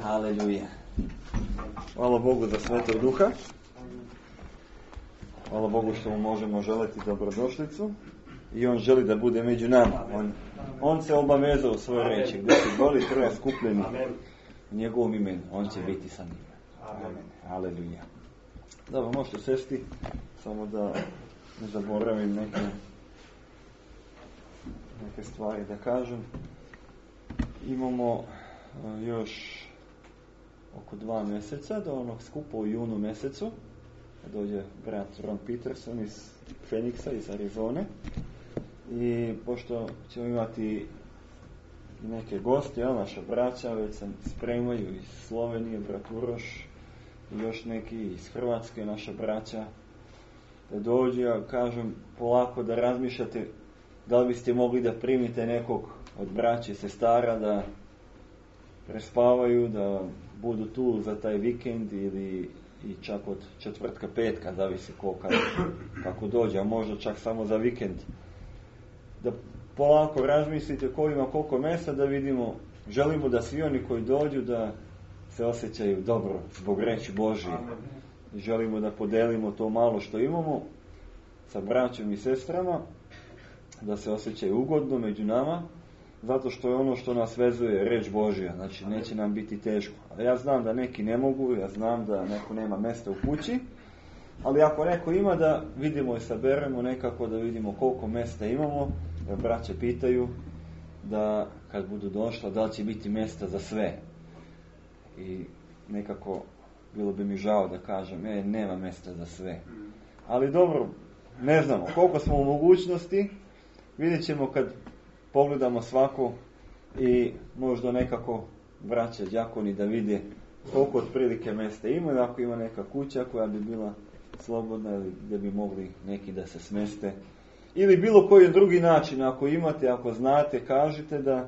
Haleluja. Hvala Bogu za Svetog Duha. Hvala Bogu što mu možemo želiti dobrodošlicu. I on želi da bude među nama. On se obavezao u svojoj reči. Gdje se boli troje skupljeni u njegovom imenu, on će biti sa njima. Amen. Haleluja. Dobro, možete sesti, samo da ne zaboravim neke stvari da kažem. Imamo još oko 2 mjeseca do onog skupa u junu mjesecu. Dođe brat Ron Peterson iz Phoenixa, iz Arizone. I pošto ćemo imati neke goste, naša braća već se spremaju iz Slovenije, brat Uroš i još neki iz Hrvatske, naša braća, da dođe, ja kažem polako da razmišljate da li biste mogli da primite nekog od braća i sestara da prespavaju, da budu tu za taj vikend ili i čak od četvrtka, petka, zavisi kako dođe, a možda čak samo za vikend. Da polako razmislite ko ima koliko mjesta, da vidimo, želimo da svi oni koji dođu da se osjećaju dobro zbog reči Božije. I želimo da podelimo to malo što imamo sa braćom i sestrama, da se osjećaju ugodno među nama, zato što je ono što nas vezuje reč Božja, znači neće nam biti teško. A ja znam da neki ne mogu, ja znam da neko nema mjesta u kući, ali ako neko ima, da vidimo i saberemo nekako, da vidimo koliko mjesta imamo, da braće pitaju da kad budu došla da li će biti mjesta za sve. I nekako bilo bi mi žao da kažem, nema mjesta za sve. Ali dobro, ne znamo koliko smo u mogućnosti, vidjet ćemo kad pogledamo svako i možda nekako braća đakoni da vide koliko otprilike mjesta ima, i ako ima neka kuća koja bi bila slobodna ili gdje bi mogli neki da se smeste. Ili bilo koji drugi način, ako imate, ako znate, kažite da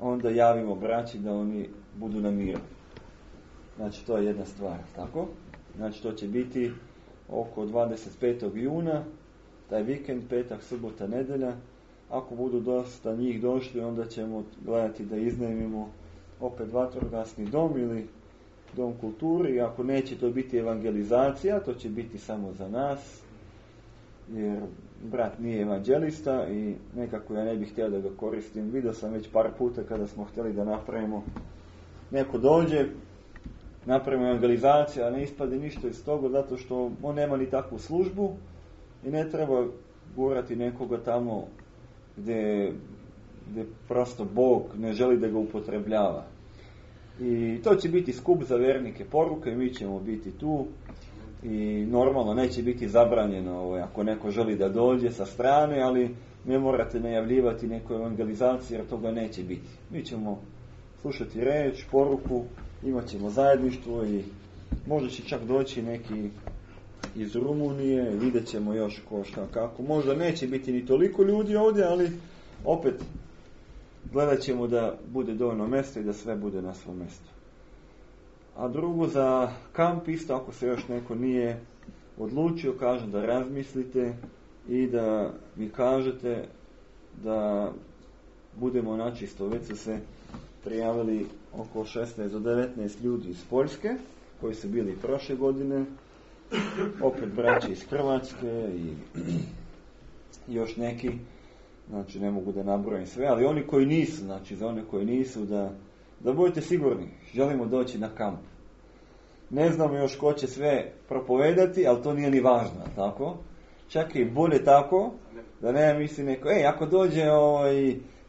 onda javimo braći da oni budu na miru. Znači to je jedna stvar, tako? Znači to će biti oko 25. juna, taj vikend, petak, subota, nedelja. Ako budu dosta njih došli, onda ćemo gledati da iznajmimo opet vatrogasni dom ili dom kulture. I ako neće to biti evangelizacija, to će biti samo za nas, jer brat nije evanđelista i nekako ja ne bih htio da ga koristim. Vidio sam već par puta kada smo htjeli da napravimo, neko dođe, napravimo evangelizaciju, a ne ispade ništa iz toga, zato što on nema ni takvu službu i ne treba gurati nekoga tamo gdje prosto Bog ne želi da ga upotrebljava. I to će biti skup za vernike poruke, mi ćemo biti tu i normalno neće biti zabranjeno ako neko želi da dođe sa strane, ali ne morate najavljivati neku evangelizaciju jer toga neće biti. Mi ćemo slušati reč, poruku, imat ćemo zajedništvo i možda će čak doći neki iz Rumunije, vidjet ćemo još ko šta kako. Možda neće biti ni toliko ljudi ovdje, ali opet gledat ćemo da bude dovoljno mjesta i da sve bude na svom mjestu. A drugo, za kamp isto, ako se još neko nije odlučio, kažem da razmislite i da mi kažete da budemo načisto. Već su se prijavili oko 16 do 19 ljudi iz Poljske, koji su bili prošle godine, opet braći iz Hrvatske i još neki, znači ne mogu da nabrojim sve, ali oni koji nisu, znači za one koji nisu, da budete sigurni, želimo doći na kamp. Ne znamo još ko će sve propovedati, ali to nije ni važno, tako? Čak i bolje tako, da ne misli neko, ako dođe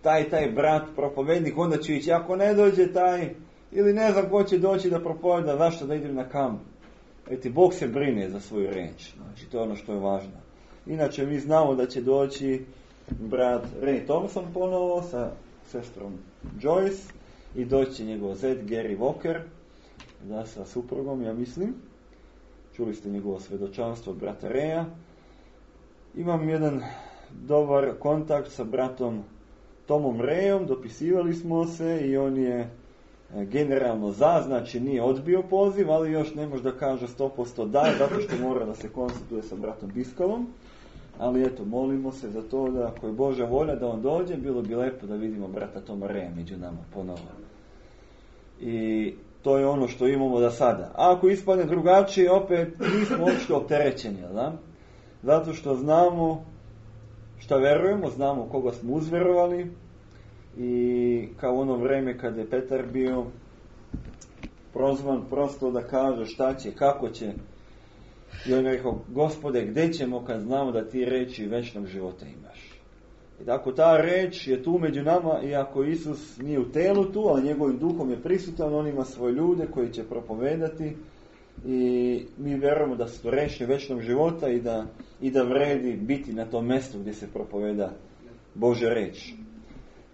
taj brat propovednik, onda ću ići, ako ne dođe taj, ili ne znam ko će doći da propoveda, zašto da idem na kamp. Bog se brine za svoju reč, znači to je ono što je važno. Inače mi znamo da će doći brat Ray Thompson ponovo sa sestrom Joyce i doći će njegov zet Gary Walker, da sa suprugom, ja mislim. Čuli ste njegovo svedočanstvo od brata Raya. Imam jedan dobar kontakt sa bratom Tomom Rayom, dopisivali smo se i on je generalno znači nije odbio poziv, ali još ne može da kaže 100% da, zato što mora da se konsultuje sa bratom Biskalom. Ali molimo se za to da ako je Božja volja da on dođe, bilo bi lepo da vidimo brata Toma Raya među nama ponovo. I to je ono što imamo za sada. A ako ispadne drugačije, opet nismo uopšte opterećeni, da? Zato što znamo šta verujemo, znamo koga smo uzverovali i kao ono vreme kada je Petar bio prozvan prosto da kaže šta će, kako će. I on je rekao, Gospode, gdje ćemo kad znamo da ti reči večnog života imaš? I tako ta reč je tu među nama, iako Isus nije u telu tu, ali njegovim duhom je prisutan, on ima svoje ljude koji će propovedati i mi vjerujemo da su to reči večnog života i da vredi biti na tom mjestu gdje se propoveda Božja reč.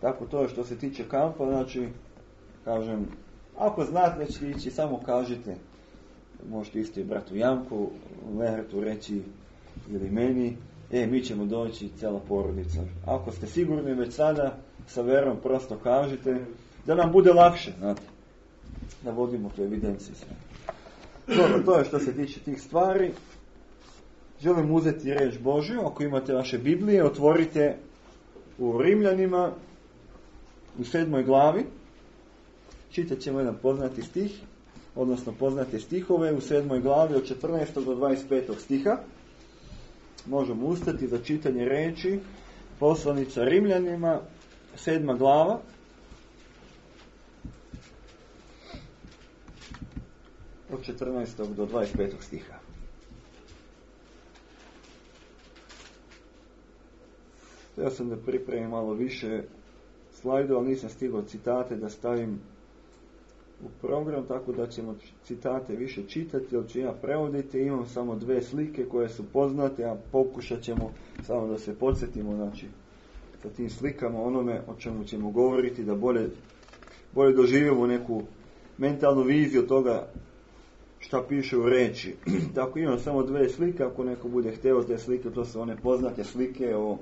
Tako to je što se tiče kampa, znači, kažem, ako znate da ćete ići, samo kažite. Možete isto i bratu Janku, Lehertu reći ili meni, mi ćemo doći cijela porodica. Ako ste sigurni već sada, sa verom prosto kažite, da nam bude lakše, znate, da vodimo tu evidenciju sve. Dobro, to je što se tiče tih stvari. Želim uzeti reč Božju, ako imate vaše Biblije, otvorite u Rimljanima, u 7. glavi, čitat ćemo jedan poznati stih, odnosno poznate stihove u 7. glavi od 14. do 25. stiha. Možemo ustati za čitanje reči poslanica Rimljanima, 7. glava, od 14. do 25. stiha. Htio sam da pripremim malo više slajdu, ali nisam stigao citate da stavim u program, tako da ćemo citate više čitati, jer ću ja prevoditi. Imam samo 2 slike koje su poznate, a pokušat ćemo samo da se podsjetimo, znači, sa tim slikama onome o čemu ćemo govoriti, da bolje doživimo neku mentalnu viziju toga šta piše u reči. Tako imam samo 2 slike, ako neko bude hteo te slike, to su one poznate slike o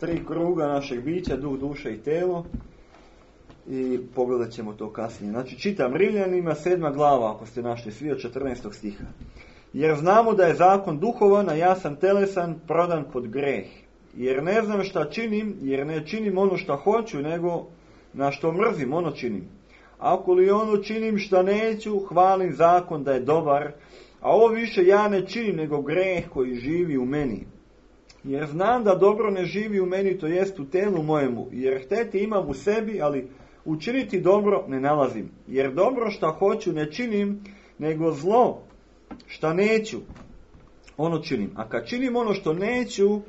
3 kruga našeg bića, duh, duša i telo. I pogledat ćemo to kasnije. Znači, čitam Rimljanima, 7. glava, ako ste našli svi, od 14. stiha. Jer znamo da je zakon duhovan, a ja sam telesan, prodan pod greh. Jer ne znam šta činim, jer ne činim ono šta hoću, nego na što mrzim, ono činim. Ako li ono činim šta neću, hvalim zakon da je dobar, a ovo više ja ne činim, nego greh koji živi u meni. Jer znam da dobro ne živi u meni, to jest u telu mojemu, jer hteti imam u sebi, ali učiniti dobro ne nalazim. Jer dobro šta hoću ne činim, nego zlo šta neću, ono činim. A kad činim ono što neću,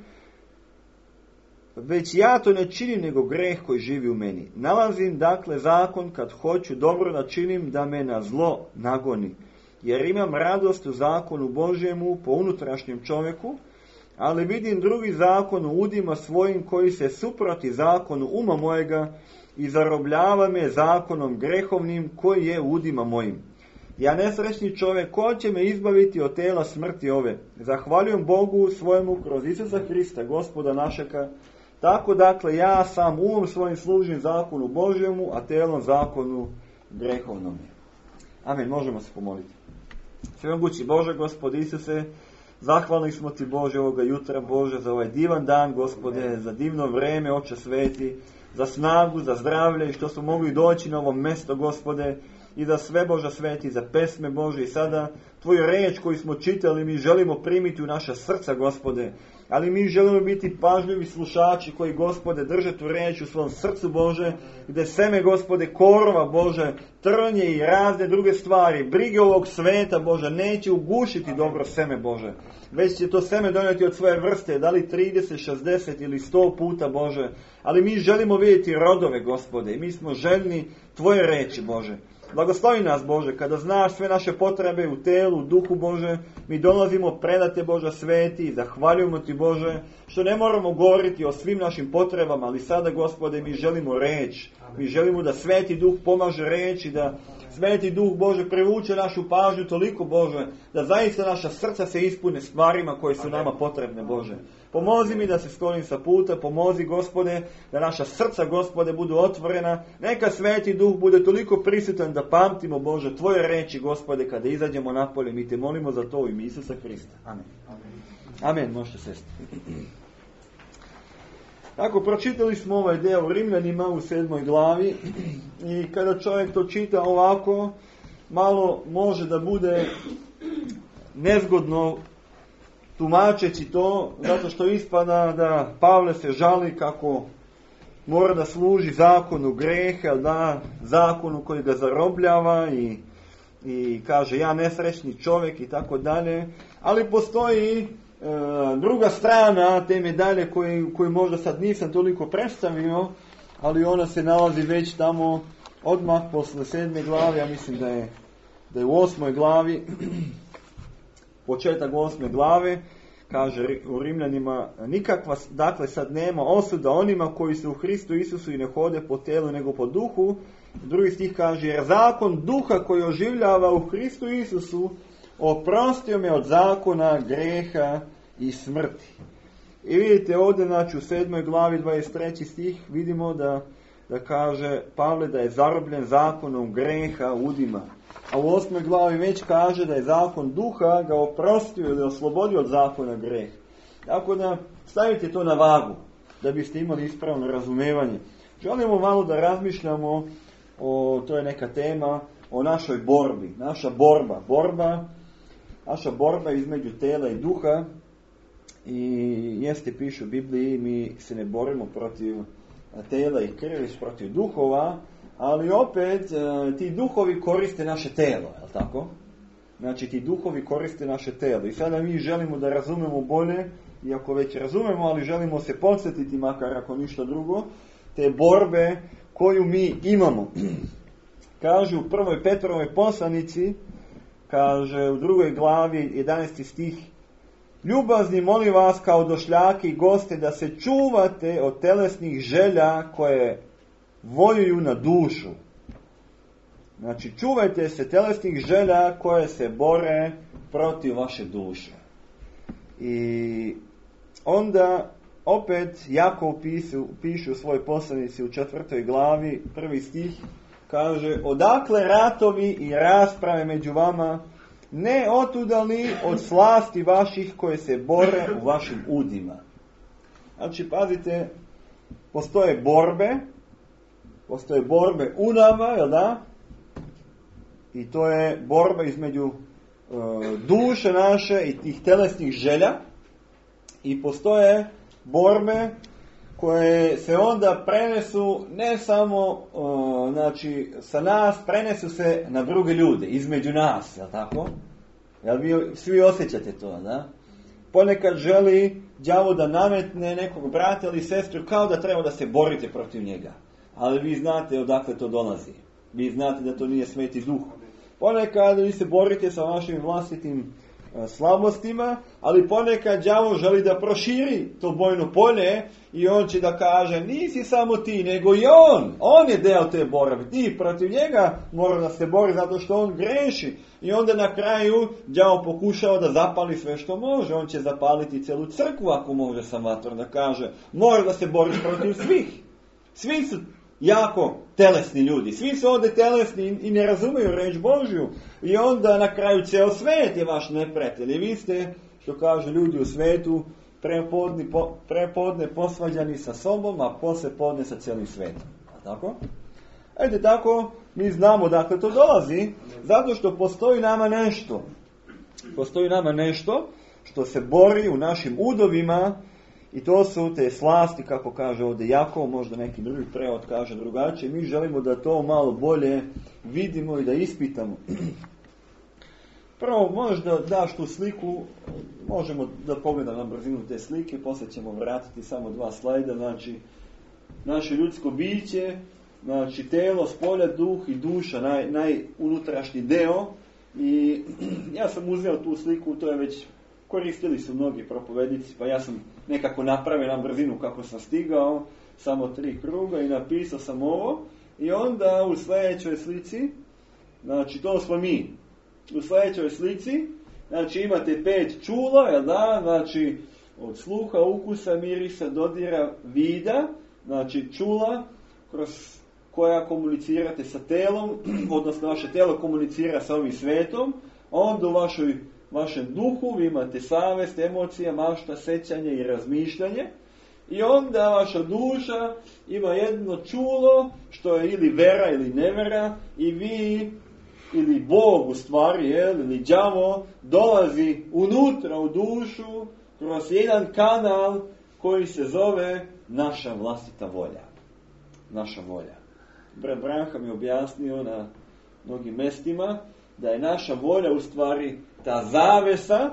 već ja to ne činim, nego greh koji živi u meni. Nalazim dakle zakon kad hoću dobro da činim, da me na zlo nagoni. Jer imam radost u zakonu Božjemu po unutrašnjem čovjeku, ali vidim drugi zakon u udima svojim koji se suproti zakonu uma mojega i zarobljava me zakonom grehovnim koji je u udima mojim. Ja nesrećni čovjek, ko će me izbaviti od tela smrti ove? Zahvaljujem Bogu svojemu kroz Isusa Hrista, Gospoda našega. Tako dakle ja sam umom svojim služim zakonu Božjemu, a telom zakonu grehovnom. Amen, možemo se pomoliti. Svemogući Bože, Gospod Isuse, zahvalni smo ti Bože ovoga jutra, Bože, za ovaj divan dan, Gospode, za divno vreme, Oče sveti, za snagu, za zdravlje i što smo mogli doći na ovo mjesto, Gospode, i za sve, Bože sveti, za pesme, Bože, i sada Tvoju reč koju smo čitali mi želimo primiti u naša srca, Gospode, ali mi želimo biti pažljivi slušači koji, Gospode, drže tu reč u svom srcu, Bože, gdje seme, Gospode, korova, Bože, trnje i razne druge stvari, brige ovog sveta, Bože, neće ugušiti dobro seme, Bože, već će to seme donijeti od svoje vrste, da li 30, 60 ili 100 puta, Bože, ali mi želimo vidjeti rodove, Gospode, i mi smo željni Tvoje reči, Bože. Blagoslovi nas, Bože, kada znaš sve naše potrebe u telu, u duhu, Bože, mi dolazimo predate, Bože sveti, i zahvaljujemo Ti, Bože, što ne moramo govoriti o svim našim potrebama, ali sada, Gospode, mi želimo reč. Mi želimo da Sveti Duh pomaže reč i da Sveti Duh, Bože, privuče našu pažnju toliko, Bože, da zaista naša srca se ispune stvarima koje su nama potrebne, Bože. Pomozi mi da se sklonim sa puta, pomozi, Gospode, da naša srca, Gospode, budu otvorena. Neka Sveti Duh bude toliko prisutan da pamtimo, Bože, Tvoje reči, Gospode, kada izađemo napolje. Mi Te molimo za to u ime Isusa Hrista. Amen. Amen, možete sesti. Tako, pročitali smo ovaj deo u Rimljanima u 7. glavi i kada čovjek to čita ovako, malo može da bude nezgodno tumačeći to, zato što ispada da Pavle se žali kako mora da služi zakonu greha, da zakonu koji ga zarobljava i kaže ja nesrećni čovjek i tako dalje, ali postoji druga strana te medalje koju možda sad nisam toliko predstavio, ali ona se nalazi već tamo odmah posle 7. glavi, ja mislim da je u 8. glavi, početak 8. glave, kaže u Rimljanima, nikakva, dakle sad nema osuda onima koji su u Hristu Isusu i ne hode po telu nego po duhu. Drugi stih kaže, jer zakon duha koji oživljava u Hristu Isusu oprostio me od zakona, greha i smrti. I vidite ovdje, znači u 7. glavi 23. stih vidimo da kaže Pavle da je zarobljen zakonom greha, udima. A u 8. glavi već kaže da je zakon duha ga oprostio ili oslobodio od zakona greha. Tako da stavite to na vagu, da biste imali ispravno razumevanje. Želimo malo da razmišljamo to je neka tema, o našoj borbi. Naša borba između tela i duha. I piše u Bibliji, mi se ne borimo protiv tela i krvi, protiv duhova, ali opet ti duhovi koriste naše telo, je li tako? Znači ti duhovi koriste naše telo. I sada mi želimo da razumemo bolje, iako već razumemo, ali želimo se podsjetiti, makar ako ništa drugo, te borbe koju mi imamo. Kaže u 1. Petrovoj poslanici, kaže u 2. glavi 11. stih, ljubazni molim vas kao došljaki i goste da se čuvate od telesnih želja koje voljuju na dušu. Znači čuvajte se telesnih želja koje se bore protiv vaše duše. I onda opet Jakov piše u svojoj poslanici u 4. glavi 1. stih, kaže, odakle ratovi i rasprave među vama, ne otuda li od slasti vaših koje se bore u vašim udima. Znači, pazite, postoje borbe u nama, jel da? I to je borba između duše naše i tih telesnih želja. I postoje borbe koje se onda prenesu ne samo znači sa nas, prenesu se na druge ljude, između nas, jel tako? Jel vi svi osjećate to, da? Ponekad želi đavo da nametne nekog brata ili sestru kao da treba da se borite protiv njega. Ali vi znate odakle to dolazi. Vi znate da to nije Sveti Duh. Ponekad vi se borite sa vašim vlastitim slabostima, ali ponekad đavo želi da proširi to bojno polje i on će da kaže nisi samo ti, nego i on je deo te borbe. Ti protiv njega mora da se bori zato što on greši. I onda na kraju đavo pokušao da zapali sve što može. On će zapaliti celu crkvu ako može sa vatrom, da kaže mora da se boriš protiv svih. Svi su jako telesni ljudi. Svi su ovdje telesni i ne razumeju reč Božju. I onda na kraju ceo svet je vaš neprijatelj. I vi ste, što kažu ljudi u svetu, prepodne posvađani sa sobom, a posle podne sa cijelim svetom. A tako? Ede tako, mi znamo dakle to dolazi, zato što postoji nama nešto. Postoji nama nešto što se bori u našim udovima. I to su te slasti, kako kaže ovdje Jakov, možda neki drugi prevod kaže drugačije. Mi želimo da to malo bolje vidimo i da ispitamo. Prvo, možda daš tu sliku, možemo da pogledamo na brzinu te slike, poslije ćemo vratiti samo 2 slajda. Znači, naše ljudsko biće, znači telo, spolja, duh i duša, najunutrašnji deo. I ja sam uzeo tu sliku, to je već koristili su mnogi propovednici, pa ja sam nekako napravio na brzinu kako sam stigao, samo 3 kruga i napisao sam ovo. I onda u sljedećoj slici, znači to smo mi, u sljedećoj slici, znači imate 5 čula, jel da, znači od sluha, ukusa, mirisa, dodira, vida, znači čula kroz koja komunicirate sa telom, odnosno vaše telo komunicira sa ovim svetom, onda u vašem duhu vi imate savest, emocija, mašta, sećanje i razmišljanje. I onda vaša duša ima jedno čulo, što je ili vera ili nevera, i vi, ili Bog u stvari, ili đavo, dolazi unutra u dušu, kroz jedan kanal koji se zove naša vlastita volja. Naša volja. Brat Branham je objasnio na mnogim mestima da je naša volja u stvari ta zavesa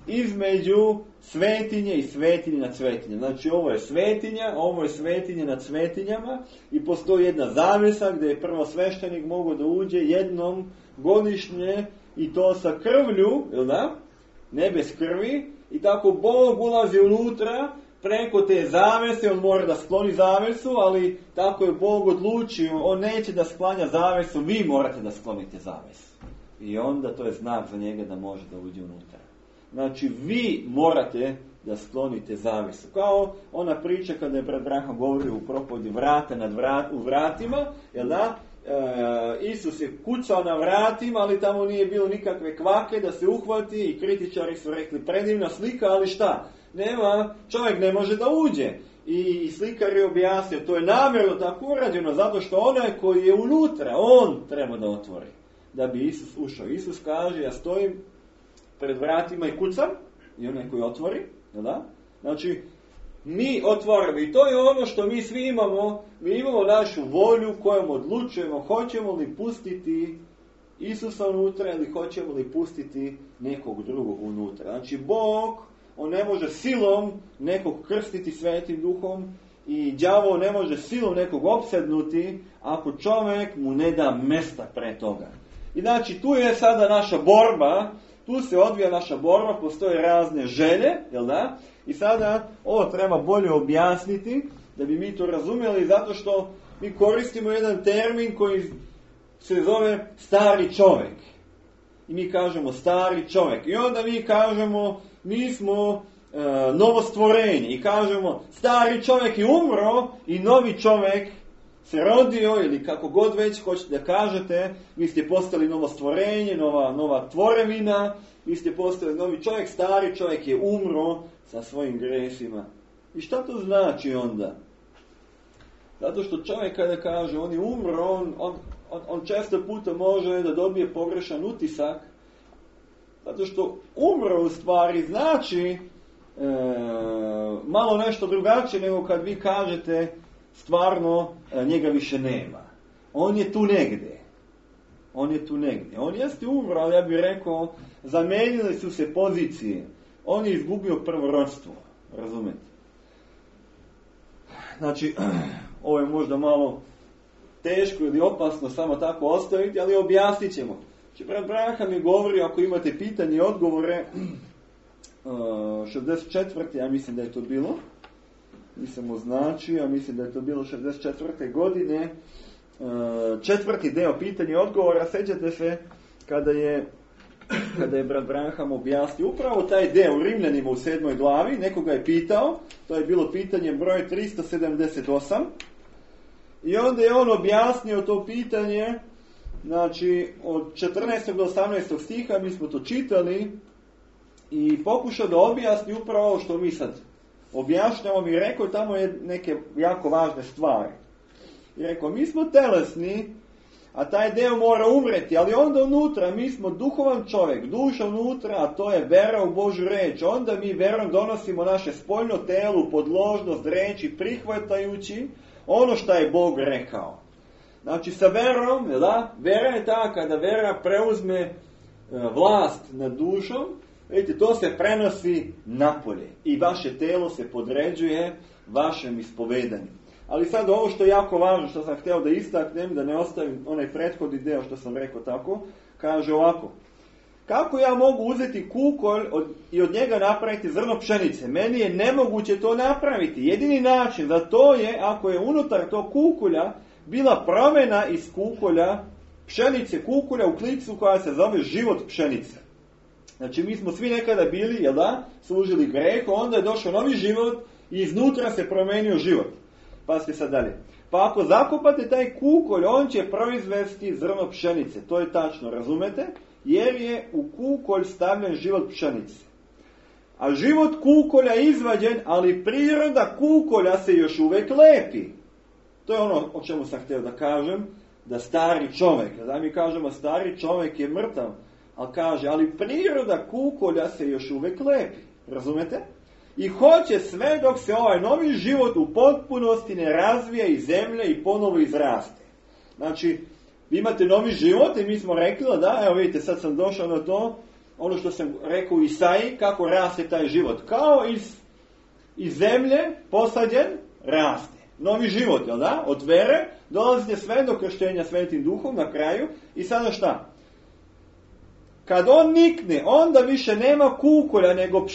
između svetinje i svetinje nad svetinje. Znači ovo je svetinja, ovo je svetinje nad svetinjama i postoji jedna zavesa gdje je prvosveštenik mogao da uđe jednom godišnje i to sa krvlju, jel da? Ne bez krvi, i tako Bog ulazi unutra preko te zavese, on mora da skloni zavesu, ali tako je Bog odlučio, on neće da sklanja zavesu, vi morate da sklonite zavesu. I onda to je znak za njega da može da uđe unutra. Znači, vi morate da sklonite zavesu. Kao ona priča kada je brat Branham govorio u propovedi vrata u vratima, jel da? Isus je kucao na vratima, ali tamo nije bilo nikakve kvake da se uhvati i kritičari su rekli predivna slika, ali šta? Nema, čovjek ne može da uđe. I slikar je objasnio, to je namjerno tako urađeno, zato što onaj koji je unutra, on treba da otvori. Da bi Isus ušao. Isus kaže, ja stojim pred vratima i kucam, i onaj koji otvori, da? Znači, mi otvorimo, i to je ono što mi svi imamo. Mi imamo našu volju kojom odlučujemo, hoćemo li pustiti Isusa unutra ili hoćemo li pustiti nekog drugog unutra. Znači, Bog, on ne može silom nekog krstiti Svetim Duhom i đavo ne može silom nekog opsednuti ako čovjek mu ne da mesta pre toga. I znači, tu je sada naša borba. Tu se odvija naša borba, postoje razne želje, jel da? I sada ovo treba bolje objasniti, da bi mi to razumjeli, zato što mi koristimo jedan termin koji se zove stari čovjek. I mi kažemo stari čovjek. I onda mi kažemo, mi smo novostvorenje. I kažemo, stari čovjek je umro i novi čovjek se rodio, ili kako god već hoćete da kažete, vi ste postali novo stvorenje, nova tvorevina, vi ste postali novi čovjek, stari čovjek je umro sa svojim gresima. I šta to znači onda? Zato što čovjek kada kaže on je umro, on često puta može da dobije pogrešan utisak, zato što umro u stvari znači malo nešto drugačije nego kad vi kažete stvarno njega više nema. On je tu negdje. On jeste umro, ali ja bih rekao, zamenili su se pozicije. On je izgubio prvorodstvo. Razumete? Znači, ovo je možda malo teško ili opasno samo tako ostaviti, ali objasnit ćemo. Znači, brat Branham mi govori, ako imate pitanje i odgovore, 64. ja mislim da je to bilo. Nisam označio, ja mislim da je to bilo 64. godine. Četvrti deo pitanja i odgovora, sjećate se kada je brat Branham objasnio upravo taj deo u Rimljanima u 7. glavi, nekoga je pitao, to je bilo pitanje broj 378, i onda je on objasnio to pitanje, znači od 14. do 18. stiha, mi smo to čitali, i pokušao da objasni upravo ovo što mi sad objašnjamo. Mi rekao, tamo je neke jako važne stvari. I rekao, mi smo telesni, a taj deo mora umreti, ali onda unutra, mi smo duhovan čovjek, duša unutra, a to je vera u Božju reč. Onda mi verom donosimo naše spoljno telo u podložnost reči, prihvatajući ono što je Bog rekao. Znači sa verom, da? Vera je ta kada vera preuzme vlast nad dušom, vidite, to se prenosi napolje i vaše telo se podređuje vašem ispovedanju. Ali sad ovo što je jako važno, što sam htio da istaknem, da ne ostavim onaj prethodni deo što sam rekao tako, kaže ovako: kako ja mogu uzeti kukolj i od njega napraviti zrno pšenice? Meni je nemoguće to napraviti. Jedini način za to je ako je unutar tog kukolja bila promjena iz kukolja pšenice, kukolja u klicu koja se zove život pšenice. Znači mi smo svi nekada bili, jel da, služili grehu, onda je došao novi život i iznutra se promenio život. Pazite sad dalje. Pa ako zakopate taj kukolj, on će proizvesti zrno pšenice. To je tačno, razumete? Jer je u kukolj stavljen život pšenice. a život kukolja je izvađen, ali priroda kukolja se još uvijek lepi. To je ono o čemu sam htio da kažem, da stari čovjek, da mi kažemo stari čovjek je mrtav, ali kaže, ali priroda kukolja se još uvijek lepi. Razumete? I hoće sve dok se ovaj novi život u potpunosti ne razvija iz zemlje i ponovo izraste. Znači, vi imate novi život i mi smo rekli da, evo vidite, sad sam došao na to, ono što sam rekao u Isaiji, kako raste taj život. Kao iz zemlje posađen, raste. Novi život, jel da? Od vere dolazite sve do krštenja Svetim Duhom na kraju i sada šta? Kad on nikne, onda više nema kukolja nego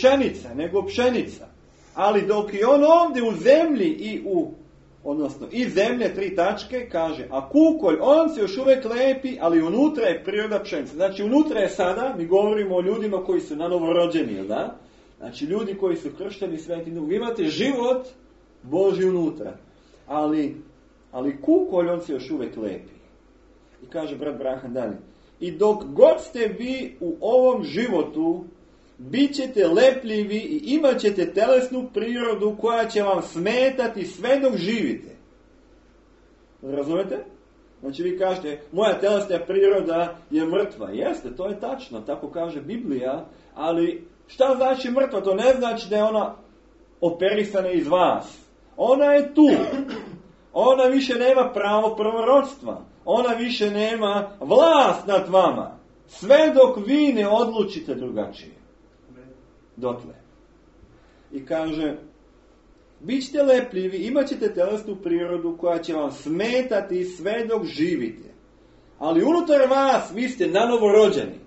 pšenica. Ali dok je on ovdje u zemlji odnosno iz zemlje 3 tačke, kaže, a kukolj, on se još uvijek lepi, ali unutra je priroda pšenice. Znači, unutra je sada, mi govorimo o ljudima koji su nanovorođeni, jel da? Znači, ljudi koji su kršteni Svetim Duhom. Vi imate život Božji unutra. Ali kukolj, on se još uvijek lepi. I kaže brat Brahan dalje. I dok god ste vi u ovom životu, bit ćete lepljivi i imat ćete telesnu prirodu koja će vam smetati sve dok živite. Razumete? Znači vi kažete, moja telesna priroda je mrtva. Jeste, to je tačno, tako kaže Biblija, ali šta znači mrtva? To ne znači da je ona operisana iz vas. Ona je tu. Ona više nema pravo prvorodstva. Ona više nema vlast nad vama. Sve dok vi ne odlučite drugačije. Dotle. I kaže, bit ćete lepljivi, imat ćete telesnu prirodu koja će vam smetati sve dok živite. Ali unutar vas vi ste nanovorođeni.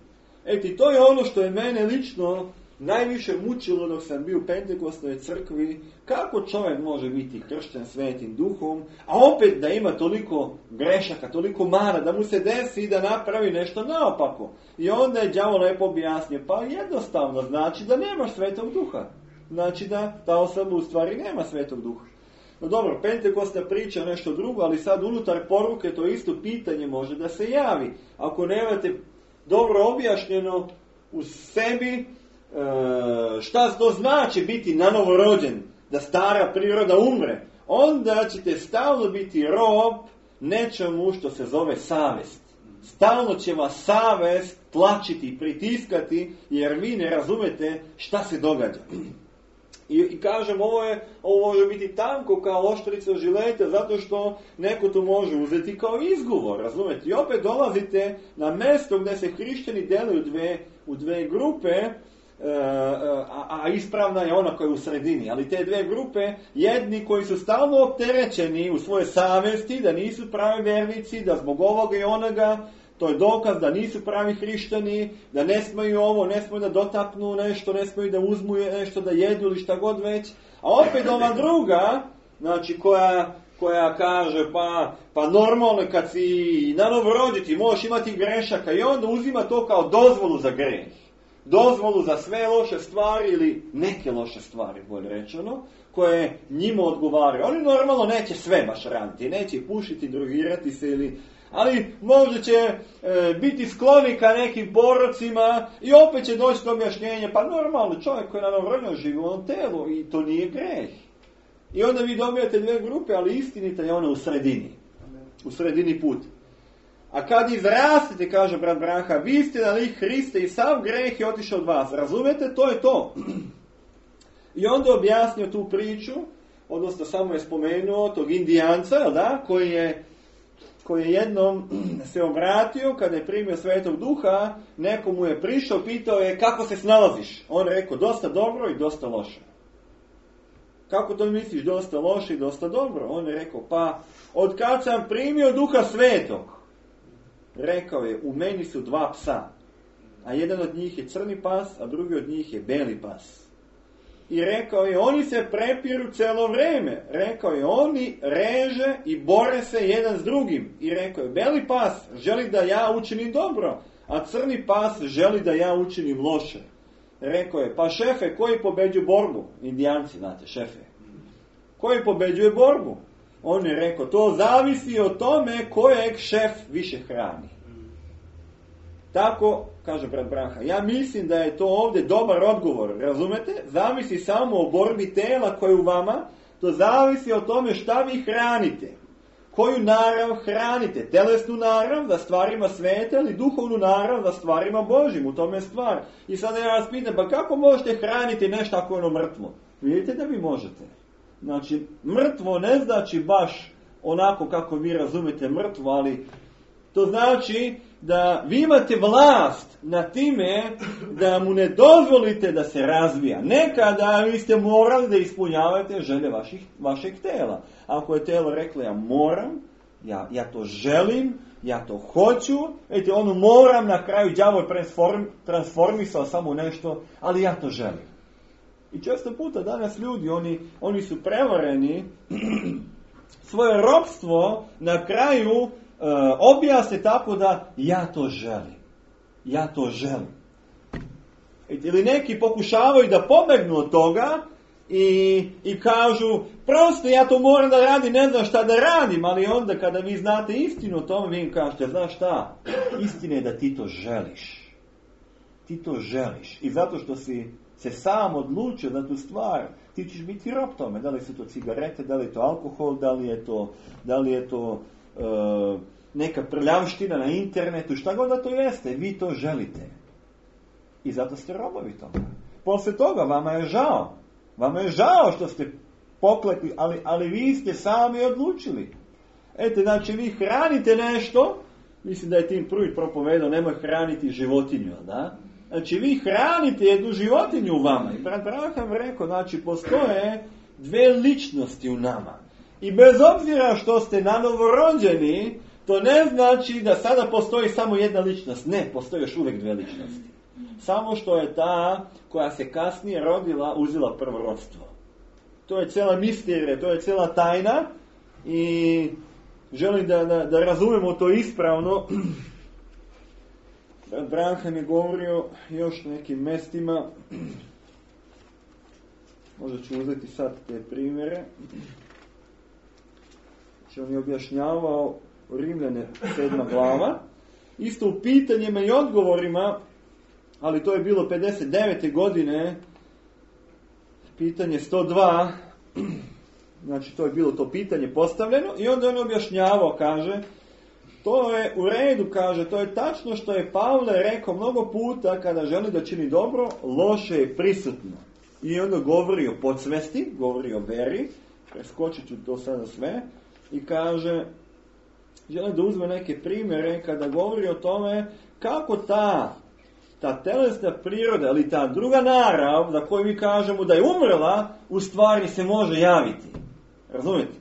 Eti, to je ono što je mene lično najviše mučilo dok sam bio u Pentekostnoj crkvi, kako čovjek može biti kršten Svetim Duhom, a opet da ima toliko grešaka, toliko mana, da mu se desi da napravi nešto naopako. I onda je đavo lepo objasnio, pa jednostavno znači da nemaš Svetog Duha. Znači da ta osoba u stvari nema Svetog Duha. No dobro, Pentekostna priča nešto drugo, ali sad unutar poruke to isto pitanje može da se javi. Ako nemate dobro objašnjeno u sebi, šta to znači biti nanovorođen, da stara priroda umre, onda ćete stalno biti rob nečemu što se zove savest. Stalno će vas savest tlačiti, pritiskati, jer vi ne razumete šta se događa. I kažem, ovo može biti tanko kao oštrica žileta, zato što neko to može uzeti kao izgovor, razumete? I opet dolazite na mjesto gdje se hrišćani dele u dve grupe, a ispravna je ona koja je u sredini. Ali te dve grupe, jedni koji su stalno opterećeni u svoje savjesti, da nisu pravi vernici, da zbog ovoga i onoga, to je dokaz da nisu pravi hrišćani, da ne smiju ovo, ne smiju da dotaknu nešto, ne smiju da uzmu nešto, da jedu ili šta god već. A opet ova druga, znači koja kaže, pa normalno kad si nanovorođen ti možeš imati grešaka, i onda uzima to kao dozvolu za greh. Dozvolu za sve loše stvari ili neke loše stvari, bolje rečeno, koje njima odgovaraju. Oni normalno neće sve baš raditi, neće pušiti, drogirati se ali možda će biti skloni ka nekim porocima i opet će doći do objašnjenja, pa normalno čovjek koji je nanovorođen živi u ovom telu i to nije greh. I onda vi dobijate dve grupe, ali istinita je ona u sredini. U sredini put. A kad izrastete, kaže brat Braha, vi ste na lik Hriste i sav greh je otišao od vas. Razumete? To je to. I onda je objasnio tu priču, odnosno samo je spomenuo tog Indijanca, da, koji je jednom se obratio kada je primio Svetog Duha, nekomu je prišao, pitao je kako se snalaziš. On je rekao dosta dobro i dosta loše. Kako to misliš dosta loše i dosta dobro? On je rekao, pa od kad sam primio Duha Svetog, rekao je, u meni su dva psa, a jedan od njih je crni pas, a drugi od njih je beli pas. I rekao je, oni se prepiru cijelo vrijeme. Rekao je, oni reže i bore se jedan s drugim. I rekao je, beli pas želi da ja učinim dobro, a crni pas želi da ja učinim loše. Rekao je, pa šefe, koji pobeđuju borbu? Indijanci, znate, šefe. Koji pobeđuje borbu? On je rekao, to zavisi od tome kojeg šef više hrani. Tako, kaže brat Branha, ja mislim da je to ovdje dobar odgovor, razumete? Zavisi samo o borbi tela koje u vama, to zavisi o tome šta vi hranite. Koju narav hranite? Telesnu narav za stvarima sveta ili duhovnu narav za stvarima Božjim? U tome je stvar. I sada ja vas pitam, pa kako možete hraniti nešto ako je ono mrtvo? Vidite da vi možete. Znači, mrtvo ne znači baš onako kako vi razumete mrtvo, ali to znači da vi imate vlast na time da mu ne dozvolite da se razvija. Nekada vi ste morali da ispunjavate želje vašeg tela. Ako je telo reklo ja moram, ja to želim, ja to hoću, vidite, ono moram, na kraju đavo je transformisao samo nešto, ali ja to želim. I često puta danas ljudi, oni su prevareni, svoje ropstvo na kraju objasne tako da ja to želim. Ja to želim. Ili neki pokušavaju da pobegnu od toga i kažu prosto ja to moram da radim, ne znam šta da radim, ali onda kada vi znate istinu o tome, vi im kažete, znaš šta, istina je da ti to želiš. Ti to želiš. I zato što si se sam odlučio na tu stvar, ti ćeš biti rob tome. Da li su to cigarete, da li je to alkohol, da li je to neka prljavština na internetu, šta god da to jeste, vi to želite. I zato ste robovi toga. Poslije toga vama je žao. Vama je žao što ste poklekli, ali vi ste sami odlučili. Eto, znači vi hranite nešto, mislim da je Tim Pruitt propovedao, nemoj hraniti životinju, da? Znači vi hranite jednu životinju u vama. I brat Branham rekao, znači postoje dve ličnosti u nama. I bez obzira što ste nanovo rođeni, to ne znači da sada postoji samo jedna ličnost. Ne, postoji još uvijek dve ličnosti. Samo što je ta koja se kasnije rodila, uzela prvorodstvo. To je cijela misterija, to je cijela tajna i želim da razumemo to ispravno. Branham je govorio još nekim mestima. Možda ću uzeti sad te primjere. Znači on je objašnjavao Rimljane 7. glava. Isto u pitanjima i odgovorima, ali to je bilo 59. godine, pitanje 102, znači to je bilo to pitanje postavljeno i onda on objašnjavao, kaže, to je u redu, kaže, to je tačno što je Pavle rekao mnogo puta kada želi da čini dobro, loše je prisutno. I onda govori o podsvesti, govori o veri, preskočit ću to sada sve, i kaže, želi da uzme neke primjere kada govori o tome kako ta telesna priroda ili ta druga narav za koju mi kažemo da je umrla, u stvari se može javiti. Razumijete?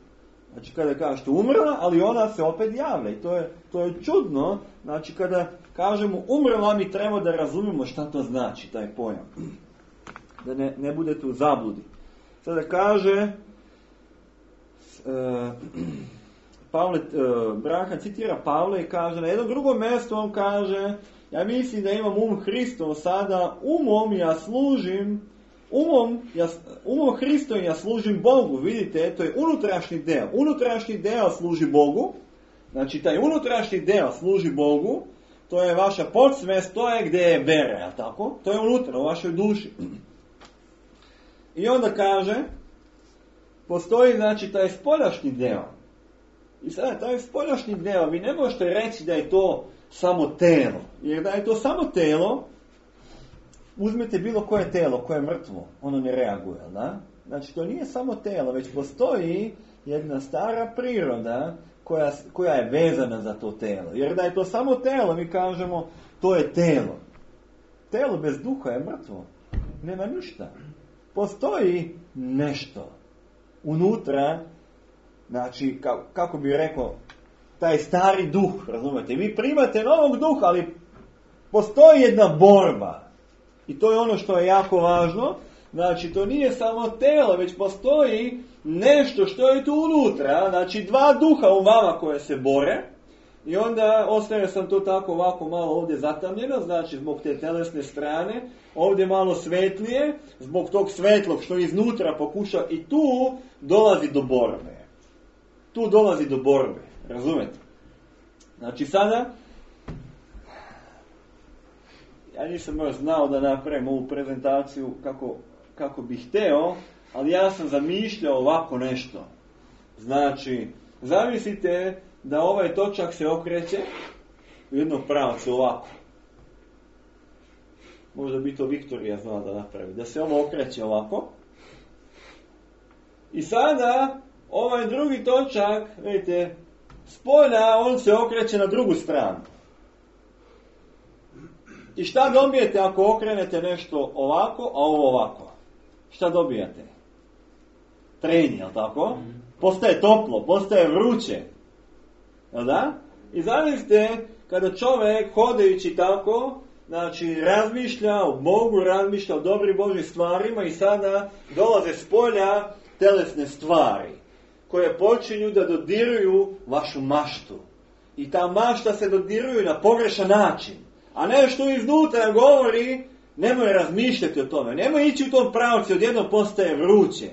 Znači kada kažete umrla, ali ona se opet javlja. I to je čudno. Znači kada kažemo umrla, mi treba da razumijemo šta to znači, taj pojam. Da ne budete u zabludi. Sada kaže Branham citira Pavla i kaže na jednom drugom mjestu on kaže, ja mislim da imam Hristov sada, umom Hristom ja služim Bogu. Vidite, to je unutrašnji deo. Unutrašnji deo služi Bogu. Znači, taj unutrašnji deo služi Bogu. To je vaša podsvest, to je gdje je vera, jel tako? To je unutra, u vašoj duši. I onda kaže, postoji, znači, taj spoljašnji deo. I sada, taj spoljašnji deo, vi ne možete reći da je to samo telo. Jer da je to samo telo, uzmete bilo koje telo, koje je mrtvo, ono ne reaguje, da? Znači, to nije samo telo, već postoji jedna stara priroda koja je vezana za to telo. Jer da je to samo telo, mi kažemo, to je telo. Telo bez duha je mrtvo. Nema ništa. Postoji nešto unutra, znači, kako bi rekao, taj stari duh, razumete? Vi primate novog duha, ali postoji jedna borba. I to je ono što je jako važno. Znači, to nije samo telo, već postoji nešto što je tu unutra. Znači, dva duha u vama koje se bore. I onda ostavio sam to tako ovako malo ovdje zatamljeno, znači zbog te telesne strane, ovdje malo svetlije, zbog tog svetlog što iznutra pokuša i tu dolazi do borbe. Tu dolazi do borbe, razumete? Znači sada, ja nisam još znao da napravim ovu prezentaciju kako bih hteo, ali ja sam zamišljao ovako nešto. Znači, zamislite da ovaj točak se okreće u jednom pravcu ovako. Možda bi to Viktorija znala da napravi. Da se ovo okreće ovako. I sada ovaj drugi točak, vidite, spolja on se okreće na drugu stranu. I šta dobijete ako okrenete nešto ovako, a ovo ovako? Šta dobijate? Trenje, jel tako? Postaje toplo, postaje vruće. Jel da? I zamislite kada čovjek hodajući tako, znači razmišlja o Bogu, razmišlja o dobrim Božjim stvarima i sada dolaze s polja telesne stvari koje počinju da dodiruju vašu maštu. I ta mašta se dodiruju na pogrešan način. A nešto iznutra govori, nemoj razmišljati o tome, nemoj ići u tom pravcu, odjednom postaje vruće.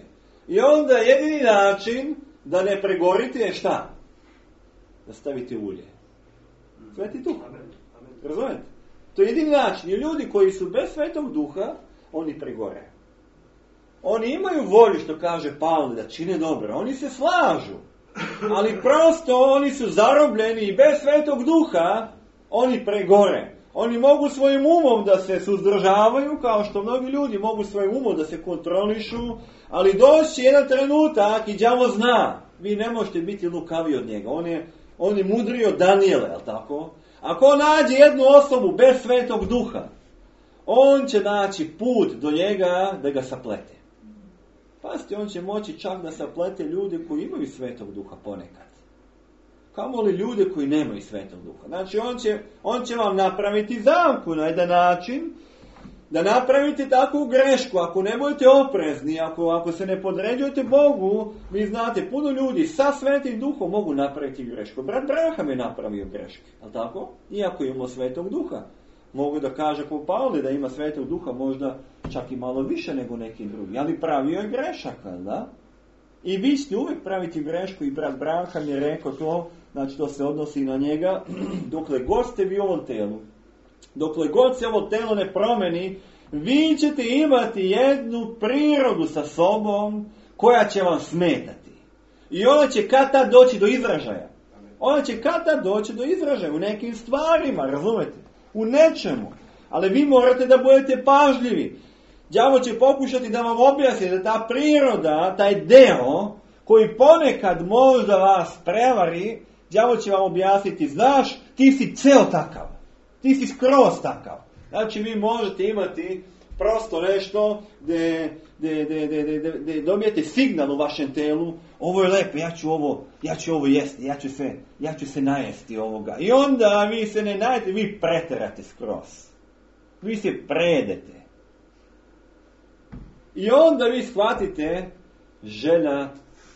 I onda jedini način da ne pregorite je šta? Da stavite ulje. Sveti duh. Razumete? To je jedini način. I ljudi koji su bez Svetog Duha, oni pregore. Oni imaju volju, što kaže Pavle, da čine dobro. Oni se slažu. Ali prosto oni su zarobljeni i bez Svetog Duha oni pregore. Oni mogu svojim umom da se suzdržavaju, kao što mnogi ljudi mogu svojim umom da se kontrolišu, ali doći jedan trenutak i đavo zna. Vi ne možete biti lukavi od njega. On je mudriji od Danijela, je li tako? Ako nađe jednu osobu bez Svetog Duha, on će naći put do njega da ga saplete. Pazite, on će moći čak da saplete ljude koji imaju Svetog Duha ponekad. Kamoli ljude koji nemaju Svetog Duha. Znači, on će vam napraviti zamku na jedan način, da napravite takvu grešku. Ako ne budete oprezni, ako se ne podređujete Bogu, vi znate, puno ljudi sa Svetim Duhom mogu napraviti grešku. Brat Braham je napravio greške, ali tako? Iako imamo Svetog Duha. Mogu da kaže po Pavle da ima Svetog Duha možda čak i malo više nego neki drugi, ali pravio je grešaka, da? I vi ćete uvijek praviti grešku i brat Braham je rekao to, znači to se odnosi na njega, dokle god ste vi u ovom telu. Dokle god se ovo telo ne promeni, vi ćete imati jednu prirodu sa sobom koja će vam smetati. I ona će kad tad doći do izražaja. Ona će kad tad doći do izražaja u nekim stvarima, razumete? U nečemu. Ali vi morate da budete pažljivi. Đavo će pokušati da vam objasni da ta priroda, taj deo koji ponekad možda vas prevari, đavo će vam objasniti, znaš, ti si ceo takav. Ti si skroz takav. Znači vi možete imati prosto nešto gdje dobijete signal u vašem telu, ovo je lepo, ja ću ovo jesti, ja ću se najesti ovoga. I onda vi se ne najete, vi preterate skroz. Vi se predete. I onda vi shvatite želja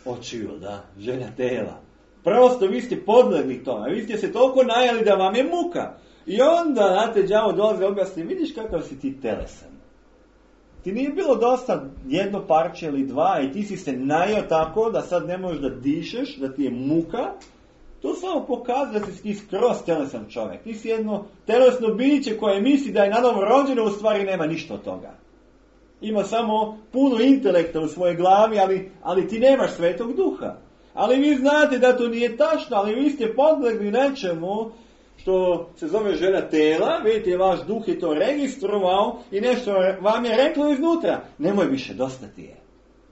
očiju, da, želja tela. Prosto vi ste podlegli tome, vi ste se toliko najeli da vam je muka. I onda, znate, đavo dolazi objasni, vidiš kakav si ti telesan. Ti nije bilo dosta jedno parče ili dva i ti si se najeo tako da sad ne možeš da dišeš, da ti je muka. To samo pokazuje da si ti skroz telesan čovjek. Ti si jedno telesno biće koje misli da je nanovo rođeno, u stvari nema ništa od toga. Ima samo puno intelekta u svojoj glavi, ali ti nemaš Svetog Duha. Ali vi znate da to nije tačno, ali vi ste podlegli nečemu što se zove želja tela, vidite, vaš duh je to registrovao i nešto vam je reklo iznutra. Nemoj više, dosta ti je.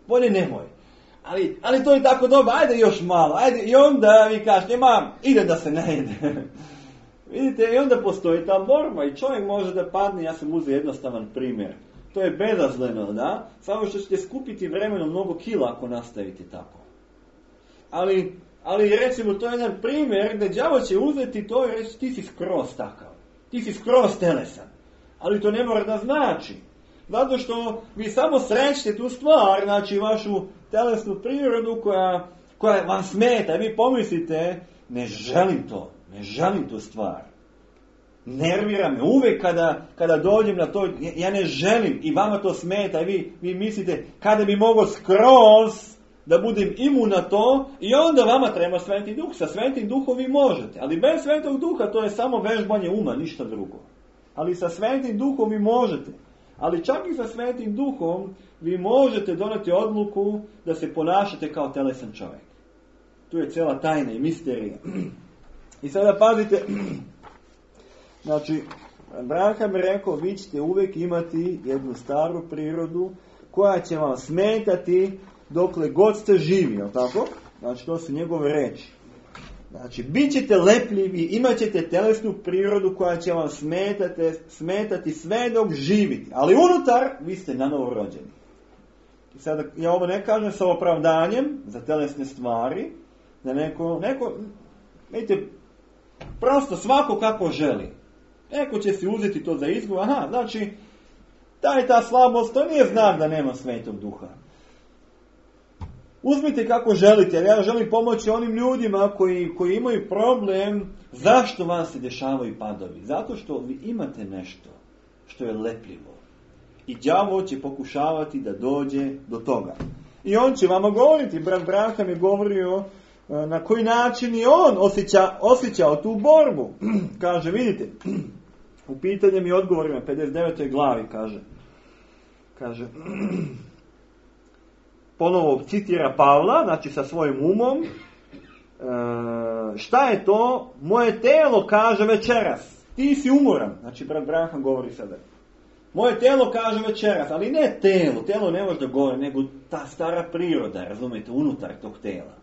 Bolje nemoj. Ali to je tako dobro, ajde još malo, ajde. I onda vi kažete, idem da se ne ide. Vidite, i onda postoji ta borba i čovjek može da padne, ja sam uzeo jednostavan primjer. To je bezazleno, da? Samo što ćete skupiti vremenom mnogo kila ako nastavite tako. Ali recimo to je jedan primjer gdje đavo će uzeti to i reći ti si skroz takav. Ti si skroz telesan. Ali to ne mora da znači. Zato što vi samo srećete tu stvar, znači vašu telesnu prirodu koja vam smeta. Vi pomislite, ne želim tu stvar. Nervira me uvijek kada dođem na to, ja ne želim i vama to smeta. I vi mislite kada bi mogao skroz da budem imun na to i onda vama treba Sveti Duh. Sa Svetim Duhom vi možete, ali bez Svetog Duha to je samo vežbanje uma, ništa drugo. Ali sa Svetim Duhom vi možete. Ali čak i sa Svetim Duhom vi možete doneti odluku da se ponašate kao telesan čovjek. Tu je cijela tajna i misterija. I sada pazite, znači, Abraham je rekao, vi ćete uvijek imati jednu staru prirodu koja će vam smetati dokle god ste živi, jel tako? Znači, to su njegove riječi. Znači, bit ćete lepljivi, imat ćete telesnu prirodu koja će vam smetati sve dok živite. Ali unutar, vi ste nanovo rođeni. I sada, ja ovo ne kažem sa opravdanjem za telesne stvari, da neko, vidite, prosto svako kako želi. Neko će si uzeti to za izgovor, znači, ta slabost, to nije znak da nema Svetog Duha. Uzmite kako želite, jer ja želim pomoći onim ljudima koji imaju problem, zašto vam se dešavaju padovi. Zato što vi imate nešto što je lepljivo. I đavo će pokušavati da dođe do toga. I on će vama govoriti, brat Branham je govorio na koji način je on osjećao tu borbu. Kaže, vidite, u pitanjem i odgovorima, 59. glavi, kaže, ponovo citira Pavla, znači sa svojim umom, šta je to? Moje telo kaže večeras, ti si umoran. Znači, brat Branham govori sada. Moje telo kaže večeras, ali ne telo ne može da govori, nego ta stara priroda, razumijete, unutar tog tela.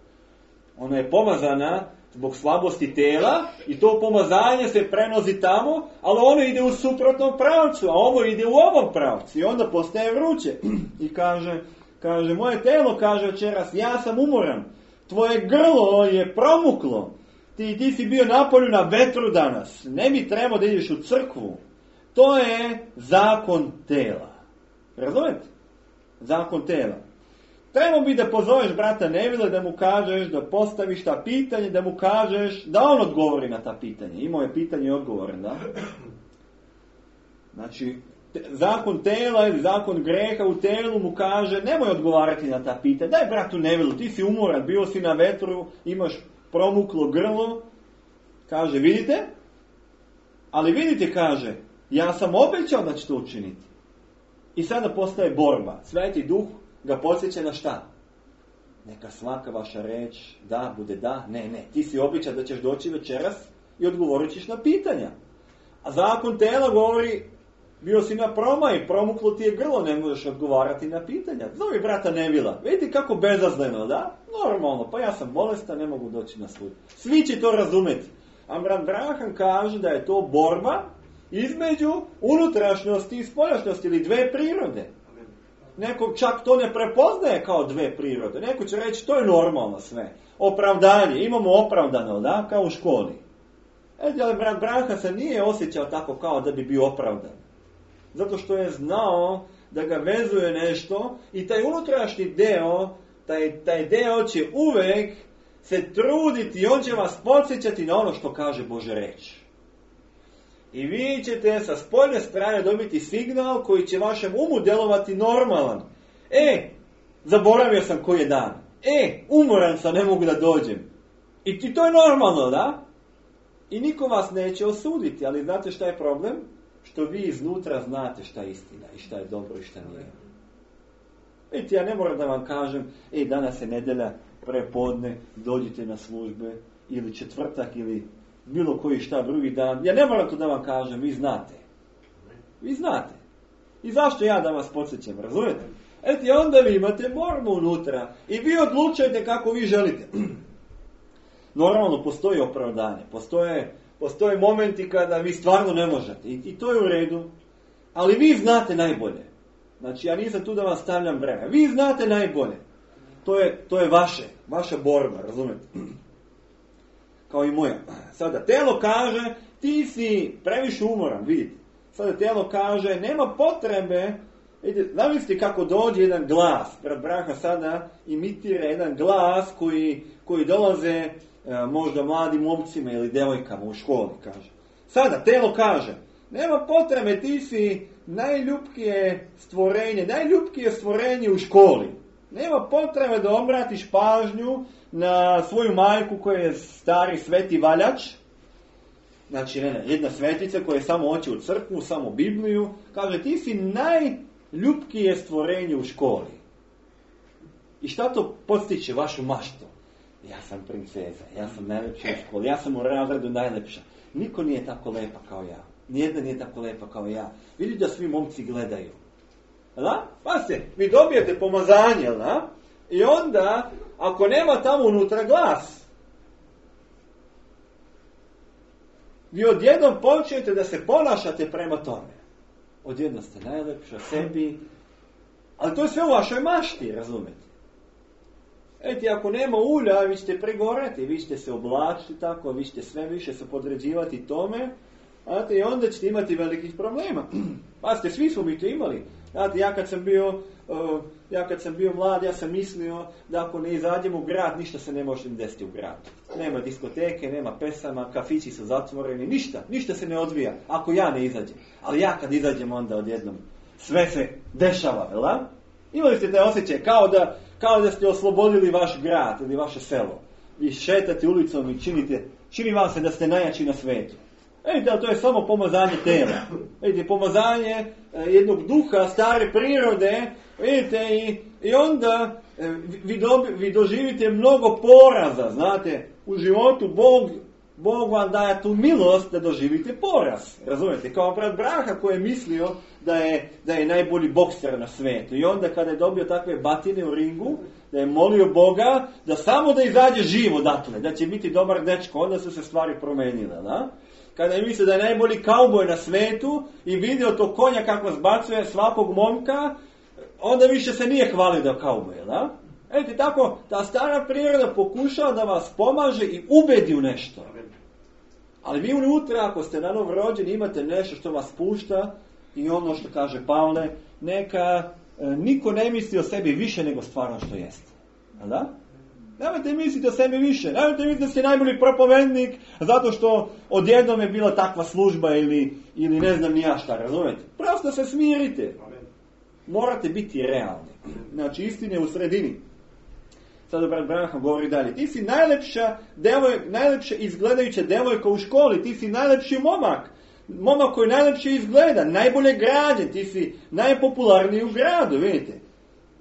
Ona je pomazana zbog slabosti tela i to pomazanje se prenosi tamo, ali ono ide u suprotnom pravcu, a ovo ide u ovom pravcu i onda postaje vruće. I kaže, moje telo kaže večeras, ja sam umoran, tvoje grlo je promuklo, ti si bio na polju na vetru danas, ne bi trebao da ideš u crkvu. To je zakon tela. Razumete? Zakon tela. Trebao bi da pozoveš brata Nevila, da mu kažeš, da postaviš ta pitanje, da mu kažeš, da on odgovori na ta pitanja. Imao je pitanje i odgovore, da? Znači, zakon tela ili zakon greha u telu mu kaže, nemoj odgovarati na ta pitanja. Daj bratu Nevilu, ti si umoran, bio si na vetru, imaš promuklo grlo. Kaže, vidite? Ali vidite, kaže, ja sam obećao da će to učiniti. I sada postaje borba. Sveti Duh ga podsjeća na šta? Neka svaka vaša reč da, bude da, ne. Ti si obećao da ćeš doći večeras i odgovorit ćeš na pitanja. A zakon tela govori, bio si na promaj, promuklo ti je grlo, ne možeš odgovarati na pitanja. Zovi brata Nevila. Vidite kako bezazleno, da? Normalno, pa ja sam bolestan, ne mogu doći na sud. Svi će to razumjeti. Amram Branham kaže da je to borba između unutrašnjosti i spoljašnjosti ili dve prirode. Neko čak to ne prepoznaje kao dve prirode. Neko će reći to je normalno sve. Opravdanje, imamo opravdano, da? Kao u školi. Ali brat Branham se nije osjećao tako kao da bi bio opravdan. Zato što je znao da ga vezuje nešto i taj unutrašnji deo, taj deo će uvek se truditi i on će vas podsjećati na ono što kaže Božja reč. I vi ćete sa spoljne strane dobiti signal koji će vašem umu delovati normalan. Zaboravio sam koji je dan. Umoran sam, ne mogu da dođem. I to je normalno, da? I niko vas neće osuditi, ali znate šta je problem? Što vi iznutra znate šta je istina i šta je dobro i šta nije. Vidite, ja ne moram da vam kažem, danas je nedelja, prepodne, dođite na službe, ili četvrtak, ili bilo koji šta drugi dan. Ja ne moram to da vam kažem, vi znate. Vi znate. I zašto ja da vas podsjećam, razumijete? Onda vi imate borbu unutra i vi odlučujete kako vi želite. Normalno, postoji opravdanje, postoje momenti kada vi stvarno ne možete i to je u redu, ali vi znate najbolje. Znači, ja nisam tu da vam stavljam breme. Vi znate najbolje. To je vaša borba, razumijete? Kao i moja. Sada, telo kaže, ti si previše umoran, vidite. Sada telo kaže, nema potrebe, vidite, zamislite kako dođe jedan glas. Brat Branham sada imitira jedan glas koji dolaze možda mladim momcima ili devojkama u školi, kaže. Sada, telo kaže, nema potrebe, ti si najljubkije stvorenje u školi. Nema potrebe da obratiš pažnju na svoju majku koja je stari sveti valjač Znači, jedna svetica koja je samo hoće u crkvu, samo Bibliju, kaže, ti si najljubkije stvorenje u školi. I šta to podstiče vašu maštu? Ja sam princeza, ja sam najlepša u školi, ja sam u razredu najlepša. Niko nije tako lepa kao ja. Nijedna nije tako lepa kao ja. Vidi da svi momci gledaju. Da? Pa se, vi dobijete pomazanje, da? I onda, ako nema tamo unutra glas, vi odjednom počnete da se ponašate prema tome. Odjednom ste najlepša sebi, ali to je sve u vašoj mašti, razumete? Eti, ako nema ulja, vi ćete pregoreti, vi ćete se oblačiti tako, vi ćete sve više se podređivati tome, znate, i onda ćete imati velikih problema. Pazite, svi smo mi to imali. Znate, ja kad sam bio mlad, ja sam mislio da ako ne izađem u grad, ništa se ne može desiti u gradu. Nema diskoteke, nema pesama, kafići su zatvoreni, ništa se ne odvija ako ja ne izađem. Ali ja kad izađem, onda odjednom sve se dešava, jel da? Imali ste taj osjećaj kao da ste oslobodili vaš grad ili vaše selo. Vi šetate ulicom i čini vam se da ste najjači na svijetu. Vidite, ali to je samo pomazanje tela. Vidite, pomazanje jednog duha, stare prirode, vidite, i onda vi doživite mnogo poraza, znate, u životu Bog vam daje tu milost da doživite poraz, razumijete, kao brat Braha koji je mislio da je najbolji bokser na svijetu. I onda kada je dobio takve batine u ringu, da je molio Boga da samo da izađe živ odatle, da će biti dobar dečko, onda su se stvari promenile, da? Kada je mislio da je najbolji kauboj na svijetu i vidio to konja kako zbacuje svakog momka, onda više se nije hvalio da je kauboj, da? Eto, tako, ta stara priroda pokušava da vas pomaže i ubedi u nešto. Ali vi unutra, ako ste na novo rođeni, imate nešto što vas pušta i ono što kaže Pavle, neka niko ne misli o sebi više nego stvarno što jeste. Da? Nemojte misliti o sebi više. Nemojte misliti da ste najbolji propovednik zato što odjednom je bila takva služba ili ne znam ni ja šta, razumijete? Prosto se smirite. Morate biti realni. Znači, istine je u sredini. Sada brat Branham govori dalje. Ti si najlepša izgledajuća devojka u školi. Ti si najlepši momak. Momak koji najlepše izgleda. Najbolje građen. Ti si najpopularniji u gradu, vidite.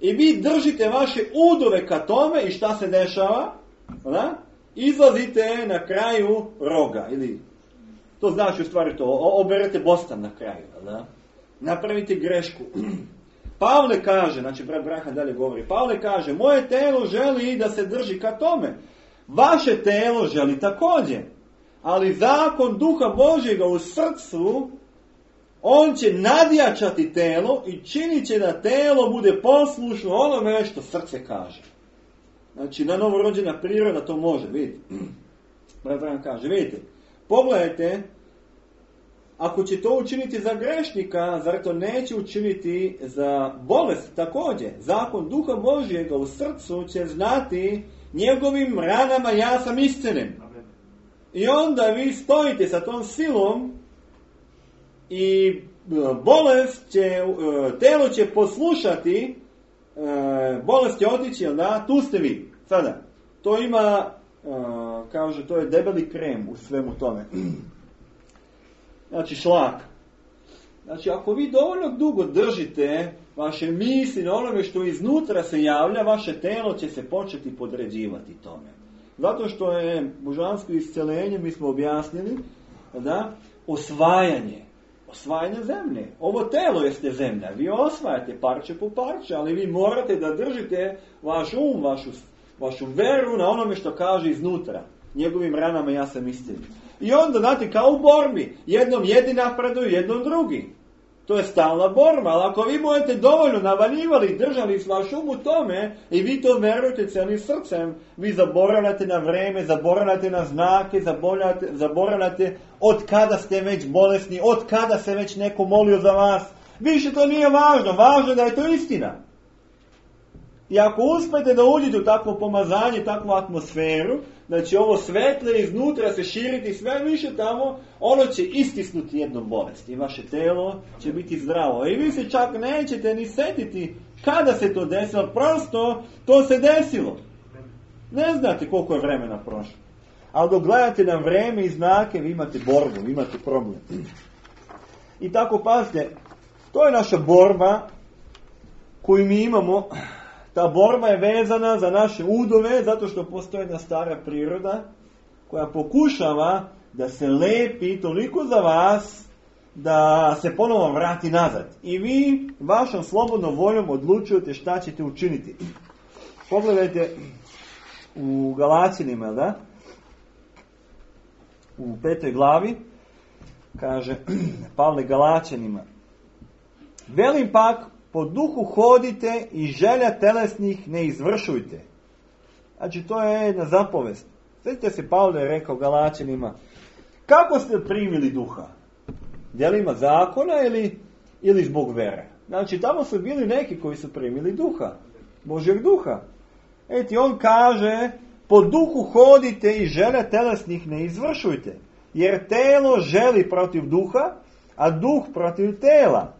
I vi držite vaše udove ka tome i šta se dešava? Da? Izlazite na kraju roga. Ili, to znači u stvari to. Oberete bostan na kraju. Da? Napravite grešku. Pavle kaže, znači brat Branham dalje govori, Pavle kaže, moje telo želi da se drži ka tome. Vaše telo želi također. Ali zakon Duha Božjega u srcu, on će nadjačati telo i činit će da telo bude poslušno onome što srce kaže. Znači, na novorođena priroda to može, vidite. Brat Branham kaže, vidite, pogledajte, ako će to učiniti za grešnika, zar to neće učiniti za bolest također? Zakon Duha Božjega u srcu će znati njegovim ranama ja sam iscelen. I onda vi stojite sa tom silom i bolest će, telo će poslušati, bolest će otići, da? Tu ste vi. Sada, to ima, kaže, to je debeli krem u svemu tome. Znači šlak. Znači ako vi dovoljno dugo držite vaše misli na onome što iznutra se javlja, vaše telo će se početi podređivati tome. Zato što je božansko isceljenje, mi smo objasnili, da, osvajanje zemlje. Ovo telo jeste zemlja. Vi osvajate parče po parče, ali vi morate da držite vaš vašu veru na onome što kaže iznutra. Njegovim ranama ja sam isceljen. I onda, znate, kao u borbi, jednom jedni napreduju, jednom drugi. To je stalna borba, ali ako vi budete dovoljno navaljivali, držali vaš u tome i vi to verujete cijelim srcem, vi zaboravljate na vreme, zaboravljate na znake, zaboravljate od kada ste već bolesni, od kada se već neko molio za vas. Više to nije važno, važno je da je to istina. I ako uspete da uđete u takvo pomazanje, takvu atmosferu, da će ovo svetle iznutra se širiti sve više tamo, ono će istisnuti jednom bolest i vaše telo će biti zdravo. I vi se čak nećete ni setiti kada se to desilo, prosto to se desilo. Ne znate koliko je vremena prošlo. Ali dok gledate na vrijeme i znake, vi imate borbu, vi imate problem. I tako pazite, to je naša borba koju mi imamo. Ta borba je vezana za naše udove, zato što postoji jedna stara priroda koja pokušava da se lepi toliko za vas da se ponovo vrati nazad. I vi vašom slobodnom voljom odlučujete šta ćete učiniti. Pogledajte u Galaćanima, da? U 5. glavi kaže Pavle Galaćanima: velim pak, po duhu hodite i želja telesnih ne izvršujte. Znači, to je jedna zapovest. Sjetite se, Pavle je rekao Galaćanima: kako ste primili duha? Djelima zakona ili zbog vere? Znači, tamo su bili neki koji su primili duha, Božjeg duha. Eti, on kaže: po duhu hodite i želja telesnih ne izvršujte. Jer telo želi protiv duha, a duh protiv tela.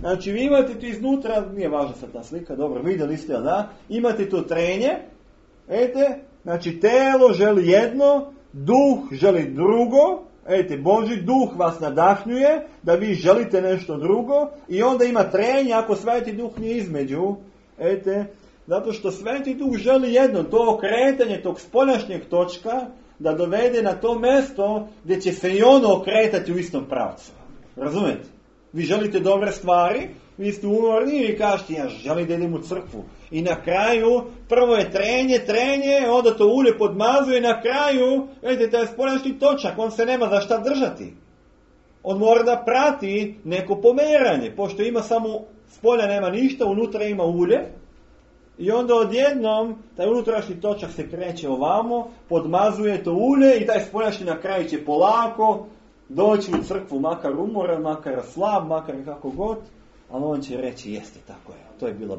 Znači, vi imate tu iznutra, nije važna sad ta slika, dobro, vidjeli ste, da? Imate to trenje, znači, telo želi jedno, duh želi drugo, Božji duh vas nadahnjuje da vi želite nešto drugo i onda ima trenje ako Sveti duh nije između, zato što Sveti duh želi jedno, to okretanje tog spoljašnjeg točka da dovede na to mjesto gdje će se i ono okretati u istom pravcu. Razumijete? Vi želite dobre stvari, vi ste umorni i kažete: ja želim da idem u crkvu. I na kraju, prvo je trenje, onda to ulje podmazuje i na kraju, vidite, taj spoljašnji točak, on se nema za šta držati. On mora da prati neko pomeranje, pošto ima samo, spolja nema ništa, unutra ima ulje. I onda odjednom, taj unutrašnji točak se kreće ovamo, podmazuje to ulje i taj spoljašnji na kraju će polako doći u crkvu, makar umoran, makar slab, makar kako god, ali on će reći: jeste, tako je, to je bilo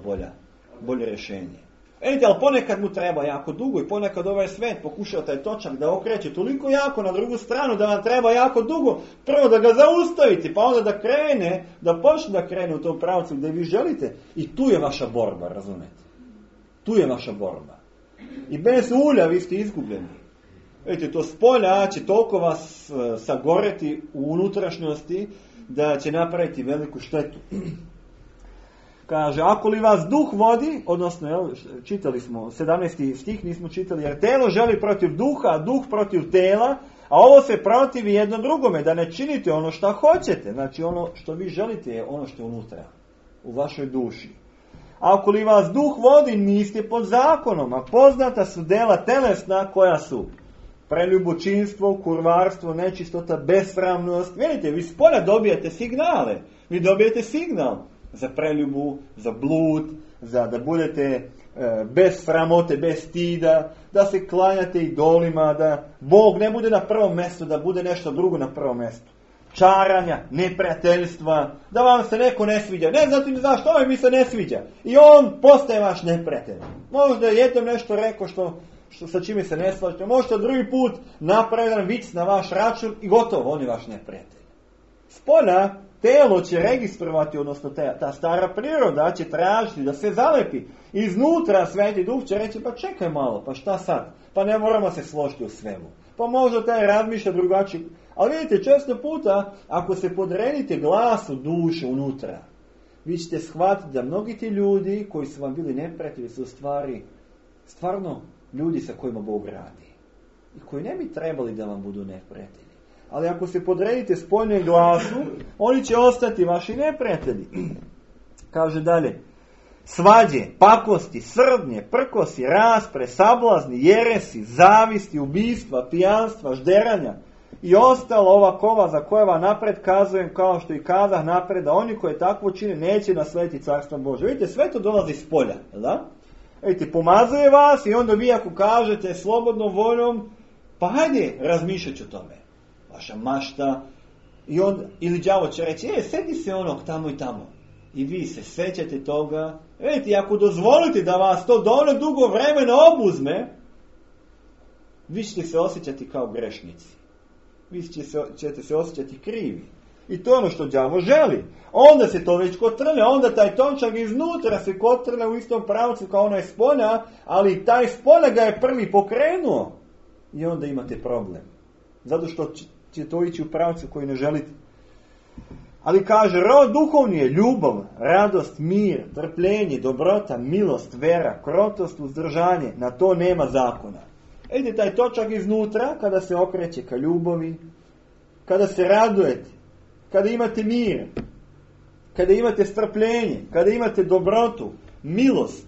bolje rješenje. Ali ponekad mu treba jako dugo i ponekad ovaj svet pokušao taj točak da okreće toliko jako na drugu stranu da vam treba jako dugo. Prvo da ga zaustavite, pa onda da krene, da počne da krene u tom pravcu gdje vi želite. I tu je vaša borba, razumete? Tu je vaša borba. I bez ulja vi ste izgubljeni. Vidite, to spolja će toliko vas sagoreti u unutrašnjosti da će napraviti veliku štetu. Kaže: ako li vas duh vodi, odnosno, čitali smo 17. stih, nismo čitali, jer telo želi protiv duha, a duh protiv tela, a ovo se protivi jedno drugome, da ne činite ono što hoćete. Znači, ono što vi želite je ono što je unutra, u vašoj duši. A ako li vas duh vodi, niste pod zakonom, a poznata su dela telesna koja su preljubočinstvo, kurvarstvo, nečistota, besramnost. Vidite, vi spolja dobijete signale. Vi dobijete signal za preljubu, za blud, za da budete bez sramote, bez stida, da se klanjate idolima, da Bog ne bude na prvom mjestu, da bude nešto drugo na prvom mjestu. Čaranja, neprijateljstva, da vam se neko ne sviđa. Ne znate ni zašto, ovaj mi se ne sviđa. I on postaje vaš neprijatelj. Možda je jednom nešto rekao što sa čime se ne slažete. Možda drugi put napravi jedan vic na vaš račun i gotovo, on je vaš neprijatelj. Spolja telo će registrovati, odnosno ta stara priroda će tražiti da se zalepi. Iznutra Sveti Duh će reći: pa čekaj malo, pa šta sad? Pa ne moramo se složiti u svemu. Pa možda taj razmišlja drugačije. Ali vidite, često puta, ako se podredite glasu duše unutra, vi ćete shvatiti da mnogi ti ljudi koji su vam bili neprijatelji su stvarno ljudi sa kojima Bog radi. I koji ne bi trebali da vam budu neprijatelji. Ali ako se podredite spoljnom glasu, oni će ostati vaši neprijatelji. Kaže dalje: svađe, pakosti, srdnje, prkosi, raspre, sablazni, jeresi, zavisti, ubistva, pijanstva, žderanja i ostalo ova kova za koje vam napred kazujem, kao što i kazah napred, da oni koji takvo čine neće naslediti carstvo Božje. Vidite, sve to dolazi iz polja, da? Vidite, pomazuje vas i onda vi ako kažete slobodnom voljom, pa hajde, razmišljat ću o tome. Vaša mašta. I onda, ili đavo će reći: sedi se onog tamo i tamo. I vi se sećate toga. Vidite, ako dozvolite da vas to dovoljno dugo vremena obuzme, vi ćete se osjećati kao grešnici. Vi ćete se osjećati krivi. I to je ono što đavo želi. Onda se to već kotrlja, onda taj točak iznutra se kotrlja u istom pravcu kao onaj spolja, ali taj spolja ga je prvi pokrenuo. I onda imate problem. Zato što će to ići u pravcu koji ne želite. Ali kaže, rod duhovni je ljubav, radost, mir, trpljenje, dobrota, milost, vera, krotost, uzdržanje. Na to nema zakona. Ide taj točak iznutra, kada se okreće ka ljubavi, kada se radujete, kada imate mir, kada imate strpljenje, kada imate dobrotu, milost,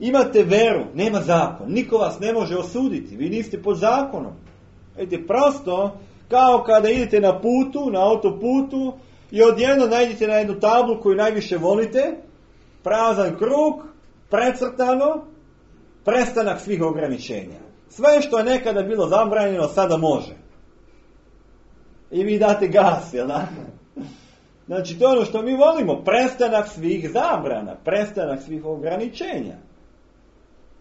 imate veru, nema zakon. Niko vas ne može osuditi, vi niste pod zakonom. Vidite, prosto, kao kada idete na putu, na autoputu, i odjedno najdete na jednu tablu koju najviše volite, prazan krug, precrtano, prestanak svih ograničenja. Sve što je nekada bilo zabranjeno, sada može. I vi date gas, jel da? Znači, to je ono što mi volimo, prestanak svih zabrana, prestanak svih ograničenja.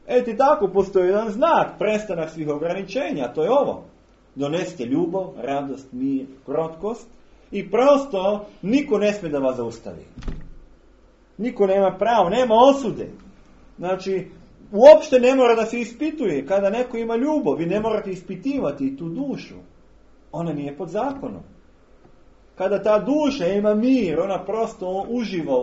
Eto, tako postoji jedan znak, prestanak svih ograničenja, to je ovo. Donesite ljubav, radost, mir, krotkost i prosto niko ne smije da vas zaustavi. Niko nema pravo, nema osude. Znači, uopšte ne mora da se ispituje. Kada neko ima ljubav, vi ne morate ispitivati tu dušu. Ona nije pod zakonom. Kada ta duša ima mir, ona prosto uživa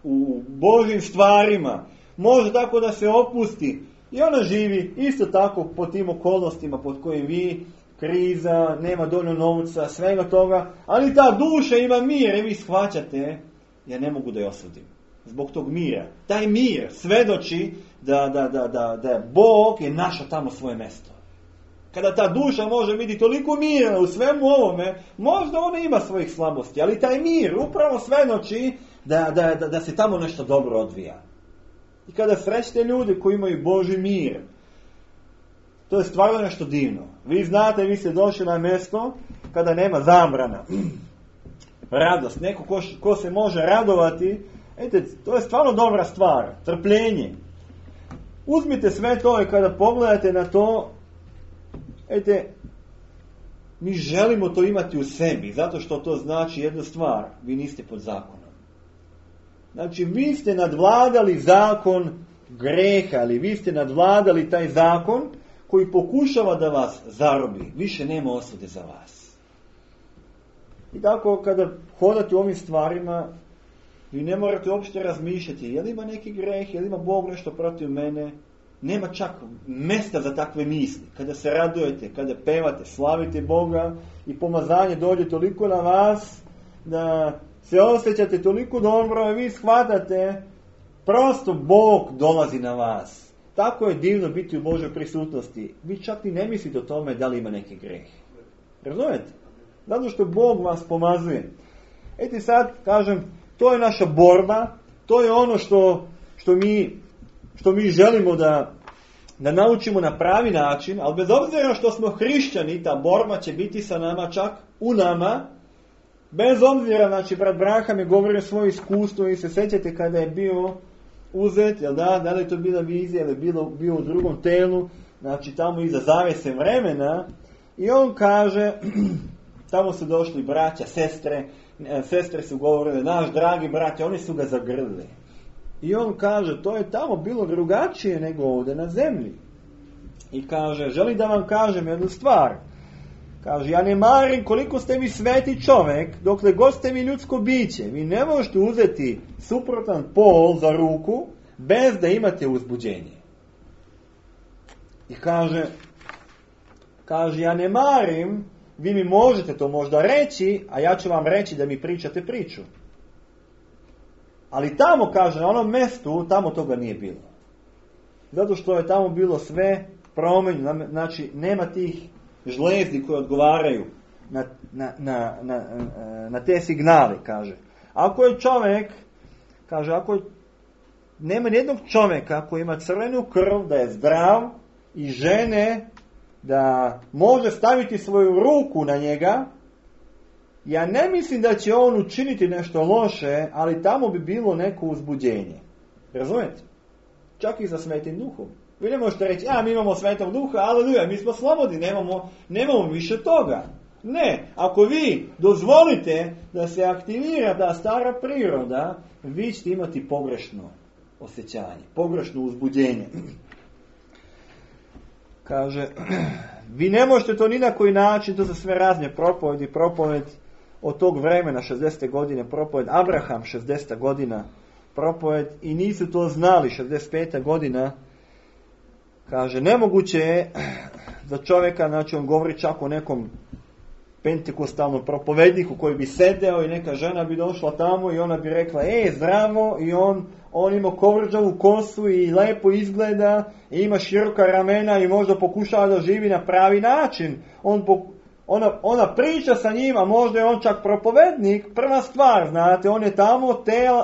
u Božjim stvarima, može tako da se opusti i ona živi isto tako pod tim okolnostima pod kojim vi, kriza, nema dovoljno novca, svega toga, ali ta duša ima mir i vi shvaćate, ja ne mogu da je osudim. Zbog tog mira. Taj mir svedoči da Bog je našao tamo svoje mjesto. Kada ta duša može biti toliko mirna u svemu ovome, možda ona ima svojih slabosti, ali taj mir upravo svedoči da se tamo nešto dobro odvija. I kada srećete ljudi koji imaju Božji mir, to je stvarno nešto divno. Vi znate, vi ste došli na mjesto kada nema zabrana. Radost, neko ko se može radovati, to je stvarno dobra stvar. Trpljenje. Uzmite sve to i kada pogledate na to, mi želimo to imati u sebi, zato što to znači jednu stvar, vi niste pod zakonom. Znači, vi ste nadvladali zakon greha, ali vi ste nadvladali taj zakon koji pokušava da vas zarobi. Više nema osude za vas. I tako, kada hodate u ovim stvarima, vi ne morate uopšte razmišljati, je li ima neki greh, je li ima Bog nešto protiv mene. Nema čak mjesta za takve misli. Kada se radujete, kada pevate, slavite Boga i pomazanje dođe toliko na vas da se osjećate toliko dobro i vi shvatate, prosto Bog dolazi na vas. Tako je divno biti u Božoj prisutnosti. Vi čak i ne mislite o tome da li ima neki greh. Razumijete? Zato što Bog vas pomazuje. Sad, kažem, to je naša borba, to je ono što mi želimo da naučimo na pravi način, ali bez obzira što smo hrišćani, ta borba će biti sa nama, čak u nama, bez obzira, znači, brat Braham je govorio svoje iskustvo i se sjećate kada je bio uzet, jel da li je to bila vizija ili bio u drugom telu, znači tamo iza zavese vremena, i on kaže, tamo su došli braća, sestre su govorile, naš dragi braća, oni su ga zagrlili. I on kaže, to je tamo bilo drugačije nego ovdje na zemlji. I kaže, želim da vam kažem jednu stvar. Kaže, ja ne marim koliko ste mi sveti čovjek, dokle god ste mi ljudsko biće. Vi ne možete uzeti suprotan pol za ruku bez da imate uzbuđenje. I kaže, ja ne marim, vi mi možete to možda reći, a ja ću vam reći da mi pričate priču. Ali tamo, kaže, na onom mjestu, tamo toga nije bilo. Zato što je tamo bilo sve promenjeno, znači nema tih žlezdi koje odgovaraju na te signale, kaže. Ako je čovjek, kaže, nema nijednog čovjeka koji ima crvenu krv, da je zdrav i žene da može staviti svoju ruku na njega, ja ne mislim da će on učiniti nešto loše, ali tamo bi bilo neko uzbuđenje. Razumijete? Čak i za Svetim Duhom. Vi ne možete reći, mi imamo Svetog Duha, aleluja, mi smo slobodni, nemamo više toga. Ne, ako vi dozvolite da se aktivira ta stara priroda, vi ćete imati pogrešno osjećanje, pogrešno uzbuđenje. Kaže, Vi ne možete to ni na koji način, to su sve razne propoved od tog vremena, 60. godine, propoved Abraham, 60. godina, propoved, i nisu to znali, 65. godina, kaže, nemoguće je za čovjeka, znači on govori čak o nekom pentekostalnom propovedniku koji bi sedeo i neka žena bi došla tamo i ona bi rekla, zdravo, i on ima kovrđavu kosu i lepo izgleda i ima široka ramena i možda pokušava da živi na pravi način. Ona priča sa njim, a možda je on čak propovednik. Prva stvar, znate, on je tamo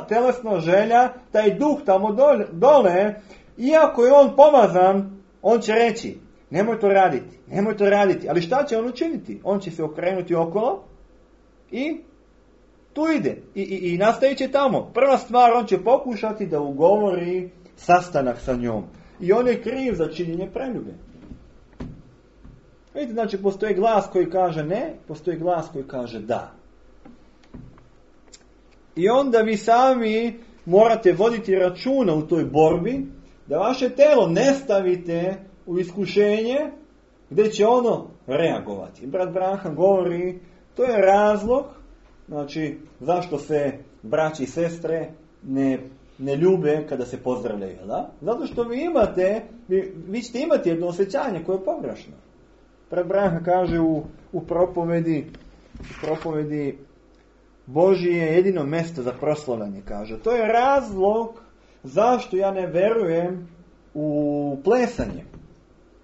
telesno želja, taj duh tamo dole, iako je on pomazan, on će reći, nemoj to raditi. Ali šta će on učiniti? On će se okrenuti okolo i tu ide. I nastavit će tamo. Prva stvar, on će pokušati da ugovori sastanak sa njom. I on je kriv za činjenje preljube. Vidite, znači, postoji glas koji kaže ne, postoji glas koji kaže da. I onda vi sami morate voditi računa u toj borbi, da vaše telo ne stavite u iskušenje gdje će ono reagovati. Brat Branham govori, to je razlog, znači, zašto se braći i sestre ne ljube kada se pozdravljaju, da? Zato što vi ćete imati jedno osjećanje koje je pogrešno. Brat Branham kaže u propovedi Božje je jedino mjesto za proslavljanje, kaže. To je razlog zašto ja ne verujem u plesanje.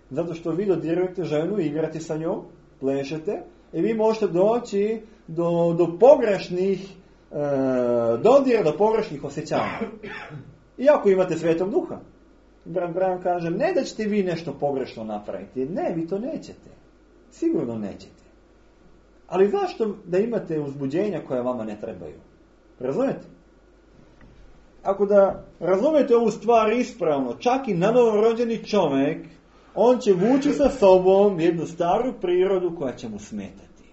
Zato što vi dodirujete ženu, igrate sa njom, plešete, i vi možete doći do pogrešnih dodira, do pogrešnih osjećanja. Iako imate Svetog Duha. Brat Branham kaže, ne da ćete vi nešto pogrešno napraviti. Ne, vi to nećete. Sigurno nećete. Ali zašto da imate uzbuđenja koja vama ne trebaju? Razumete? Ako da razumete ovu stvar ispravno, čak i novorođeni čovjek, on će vući sa sobom jednu staru prirodu koja će mu smetati.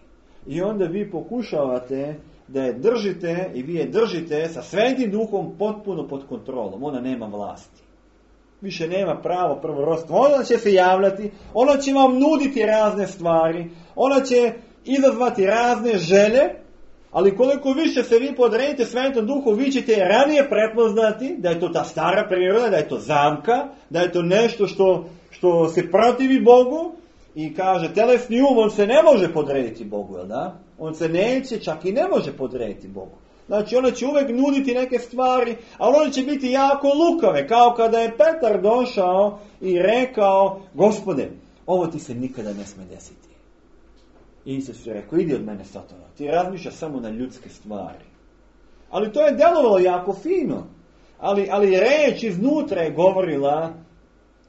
I onda vi pokušavate da je držite, i vi je držite sa Svetim Duhom potpuno pod kontrolom. Ona nema vlasti. Više nema pravo prvorodstvo. Ona će se javljati, ona će vam nuditi razne stvari, ona će izazvati razne želje, ali koliko više se vi podredite Svetom Duhu, vi ćete ranije prepoznati da je to ta stara priroda, da je to zamka, da je to nešto što se protivi Bogu, i kaže, telesni on se ne može podrediti Bogu, jel da? On se neće, čak i ne može podrediti Bogu. Znači, ona će uvijek nuditi neke stvari, ali one će biti jako lukave, kao kada je Petar došao i rekao, Gospode, ovo ti se nikada ne smije desiti. I Isus je rekao, idi od mene, Satana, ti razmišljaš samo na ljudske stvari. Ali to je djelovalo jako fino. Ali reč iznutra je govorila,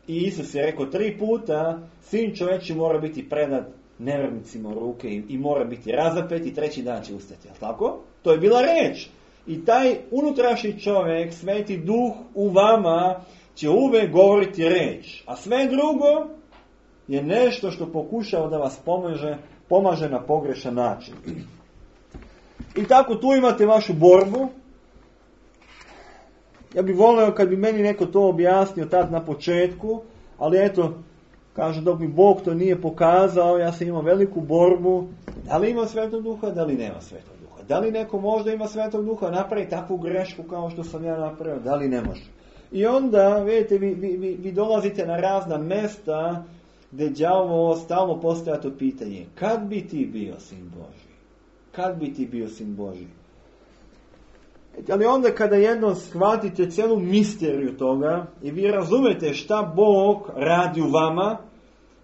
i Isus je rekao 3 puta, Sin čovječji mora biti predat nevjernicima u ruke i mora biti razapet i 3. dan će ustati. Jel tako? To je bila reč. I taj unutrašnji čovjek, Sveti Duh u vama, će uvijek govoriti reč. A sve drugo je nešto što pokušava da vas pomaže na pogrešan način. I tako tu imate vašu borbu. Ja bih volio kad bi meni neko to objasnio tad na početku, ali eto, kaže, dok mi Bog to nije pokazao, ja sam imao veliku borbu. Da li ima Svetog Duha, da li nema Svetog Duha? Da li neko možda ima Svetog Duha, napravi takvu grešku kao što sam ja napravio? Da li ne može? I onda, vidite, vi dolazite na razna mesta gdje đavo stalno postoja to pitanje. Kad bi ti bio Sin Božji? Kad bi ti bio Sin Božji? Ali onda kada jednom shvatite cijelu misteriju toga i vi razumete šta Bog radi u vama,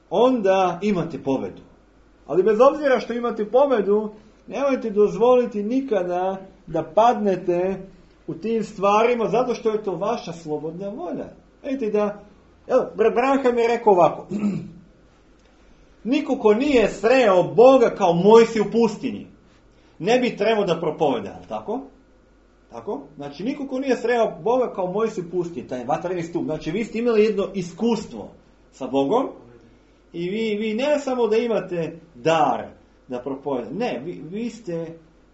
onda imate pobedu. Ali bez obzira što imate pobedu, nemojte dozvoliti nikada da padnete u tim stvarima, zato što je to vaša slobodna volja. Vidite da, evo, brat Branham je rekao ovako, niko ko nije sreo Boga kao Mojsij u pustinji, ne bi trebao da propoveda, tako? Tako? Znači, niko ko nije sreo Boga kao Mojsij u pustinji, taj vatreni stup. Znači, vi ste imali jedno iskustvo sa Bogom i vi ne samo da imate dar da propovedate. Ne,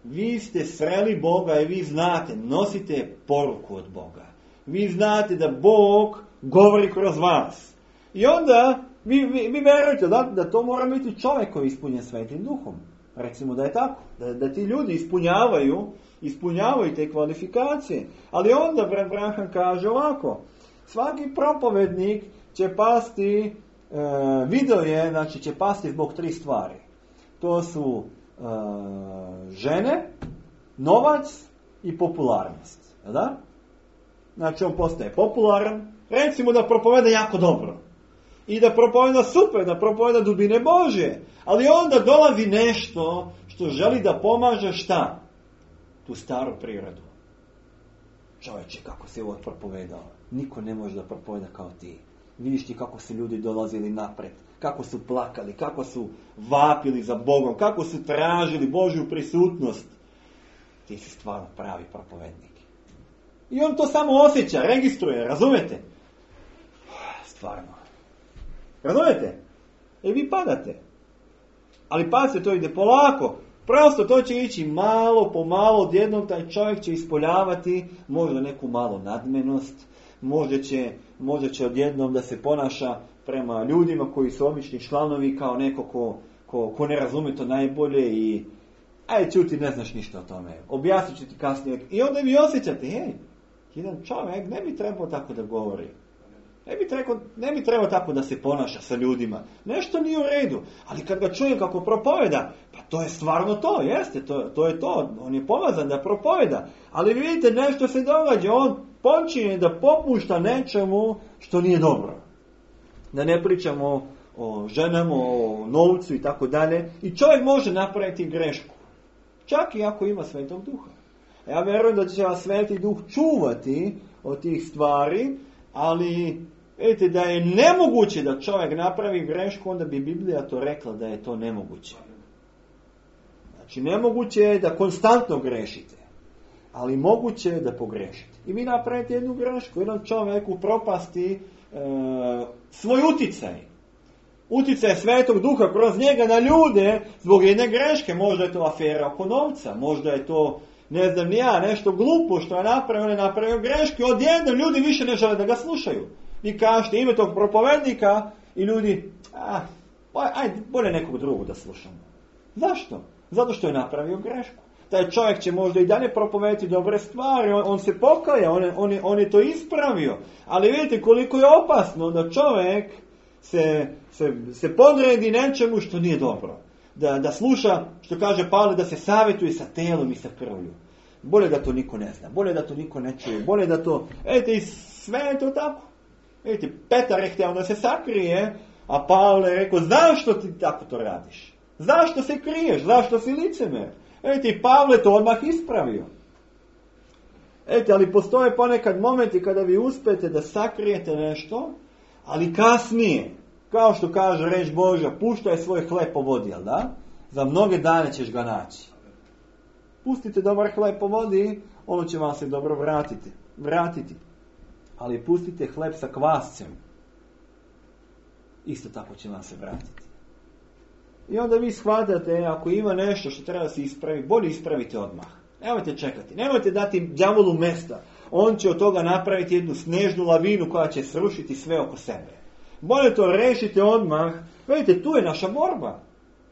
vi ste sreli Boga i vi znate, nosite poruku od Boga. Vi znate da Bog govori kroz vas. I onda Vi verujete da to mora biti čovjek koji je ispunjen Svetim Duhom. Recimo da je tako. Da ti ljudi ispunjavaju te kvalifikacije. Ali onda brat Branham kaže ovako. Svaki propovednik će pasti, video je, znači će pasti zbog 3 stvari. To su žene, novac i popularnost. Da? Znači on postaje popularan. Recimo da propoveda jako dobro. I da propoveda super, da propoveda dubine Božje. Ali onda dolazi nešto što želi da pomaže šta? Tu staru prirodu. Čovječe, kako si ovo propovedao. Niko ne može da propoveda kao ti. Vidiš ti kako su ljudi dolazili napred. Kako su plakali, kako su vapili za Bogom, kako su tražili Božju prisutnost. Ti si stvarno pravi propovednik. I on to samo osjeća, registruje, razumete? Stvarno. Razumete? I vi padate. Ali pazite, to ide polako. Prosto to će ići malo po malo, odjednom taj čovjek će ispoljavati možda neku malu nadmenost, možda će odjednom da se ponaša prema ljudima koji su obični članovi kao neko ko ne razume to najbolje i ajde čuti, ne znaš ništa o tome. Objasnit ću ti kasnije. I onda vi osjećate, jedan čovjek ne bi trebao tako da govori. Ne bi trebao tako da se ponaša sa ljudima. Nešto nije u redu. Ali kad ga čuje kako propoveda, pa to je stvarno to, jeste, to je to. On je pomazan da propoveda. Ali vidite, nešto se događa. On počinje da popušta nečemu što nije dobro. Da ne pričamo o ženama, o novcu i tako dalje. I čovjek može napraviti grešku. Čak i ako ima Svetog Duha. Ja vjerujem da će vas Sveti Duh čuvati od tih stvari, ali vidite da je nemoguće da čovjek napravi grešku, onda bi Biblija to rekla da je to nemoguće. Znači nemoguće je da konstantno grešite, ali moguće je da pogrešite. I vi napravite jednu grešku, jedan čovjek upropasti svoj uticaj. Uticaj Svetog Duha kroz njega na ljude zbog jedne greške. Možda je to afera oko novca, možda je to ne znam ni ja, nešto glupo što je napravio, on je napravio greške, odjednom ljudi više ne žele da ga slušaju. Vi kažete ime tog propovednika i ljudi, ajde, bolje nekog drugog da slušamo. Zašto? Zato što je napravio grešku. Taj čovjek će možda i dalje propovediti dobre stvari, on se pokaja, on je to ispravio. Ali vidite koliko je opasno da čovjek se podredi nečemu što nije dobro. Da sluša, što kaže Pavle, da se savjetuje sa telom i sa krvlju. Bolje da to niko ne zna, bolje da to niko ne čuje, bolje da to... i sve je to tako. Vidite, Petar je htio da se sakrije, a Pavle je rekao, zašto ti tako to radiš? Zašto se kriješ? Zašto si licemer? I Pavle to odmah ispravio. Ali postoje ponekad momenti kada vi uspete da sakrijete nešto, ali kasnije, kao što kaže reč Božja, puštaj svoj hleb po vodi, jel da? Za mnoge dane ćeš ga naći. Pustite dobar hleb po vodi, ono će vam se dobro vratiti. Ali pustite hleb sa kvascem, isto tako će vam se vratiti. I onda vi shvatate, ako ima nešto što treba se ispraviti, bolje ispravite odmah. Nemojte čekati, nemojte dati đavolu mesta. On će od toga napraviti jednu snežnu lavinu koja će srušiti sve oko sebe. Bolje to rešite odmah. Vidite, tu je naša borba.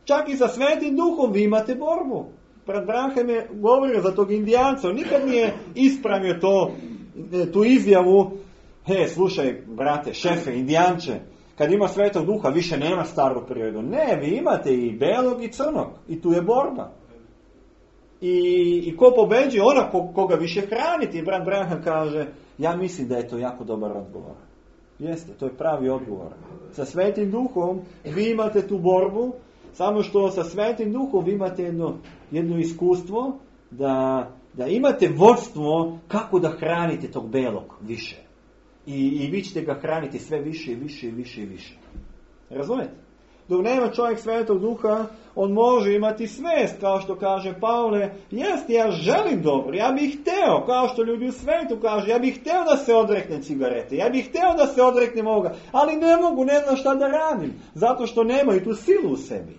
Čak i sa Svetim Duhom vi imate borbu. Brat Branham je govorio za tog Indijanca. On nikad nije ispravio tu izjavu. Slušaj, brate, šefe, Indijanče, kad ima Svetog Duha više nema staru prirodu. Ne, vi imate i belog i crnog. I tu je borba. I ko pobeđuje, ona koga više hraniti. Brat Branham kaže, ja mislim da je to jako dobar odgovor. Jeste, to je pravi odgovor. Sa Svetim Duhom vi imate tu borbu, samo što sa Svetim Duhom vi imate jedno iskustvo da imate vodstvo kako da hranite tog belog više. I vi ćete ga hraniti sve više i više i više i više. Razumete? Dok nema čovjek Svetog Duha, on može imati svest, kao što kaže Pavle, jeste, ja želim dobro, ja bih hteo, kao što ljudi u svetu kažu, ja bih hteo da se odreknem cigarete, ja bih hteo da se odreknem ovoga, ali ne mogu, ne znam šta da radim, zato što nemaju tu silu u sebi.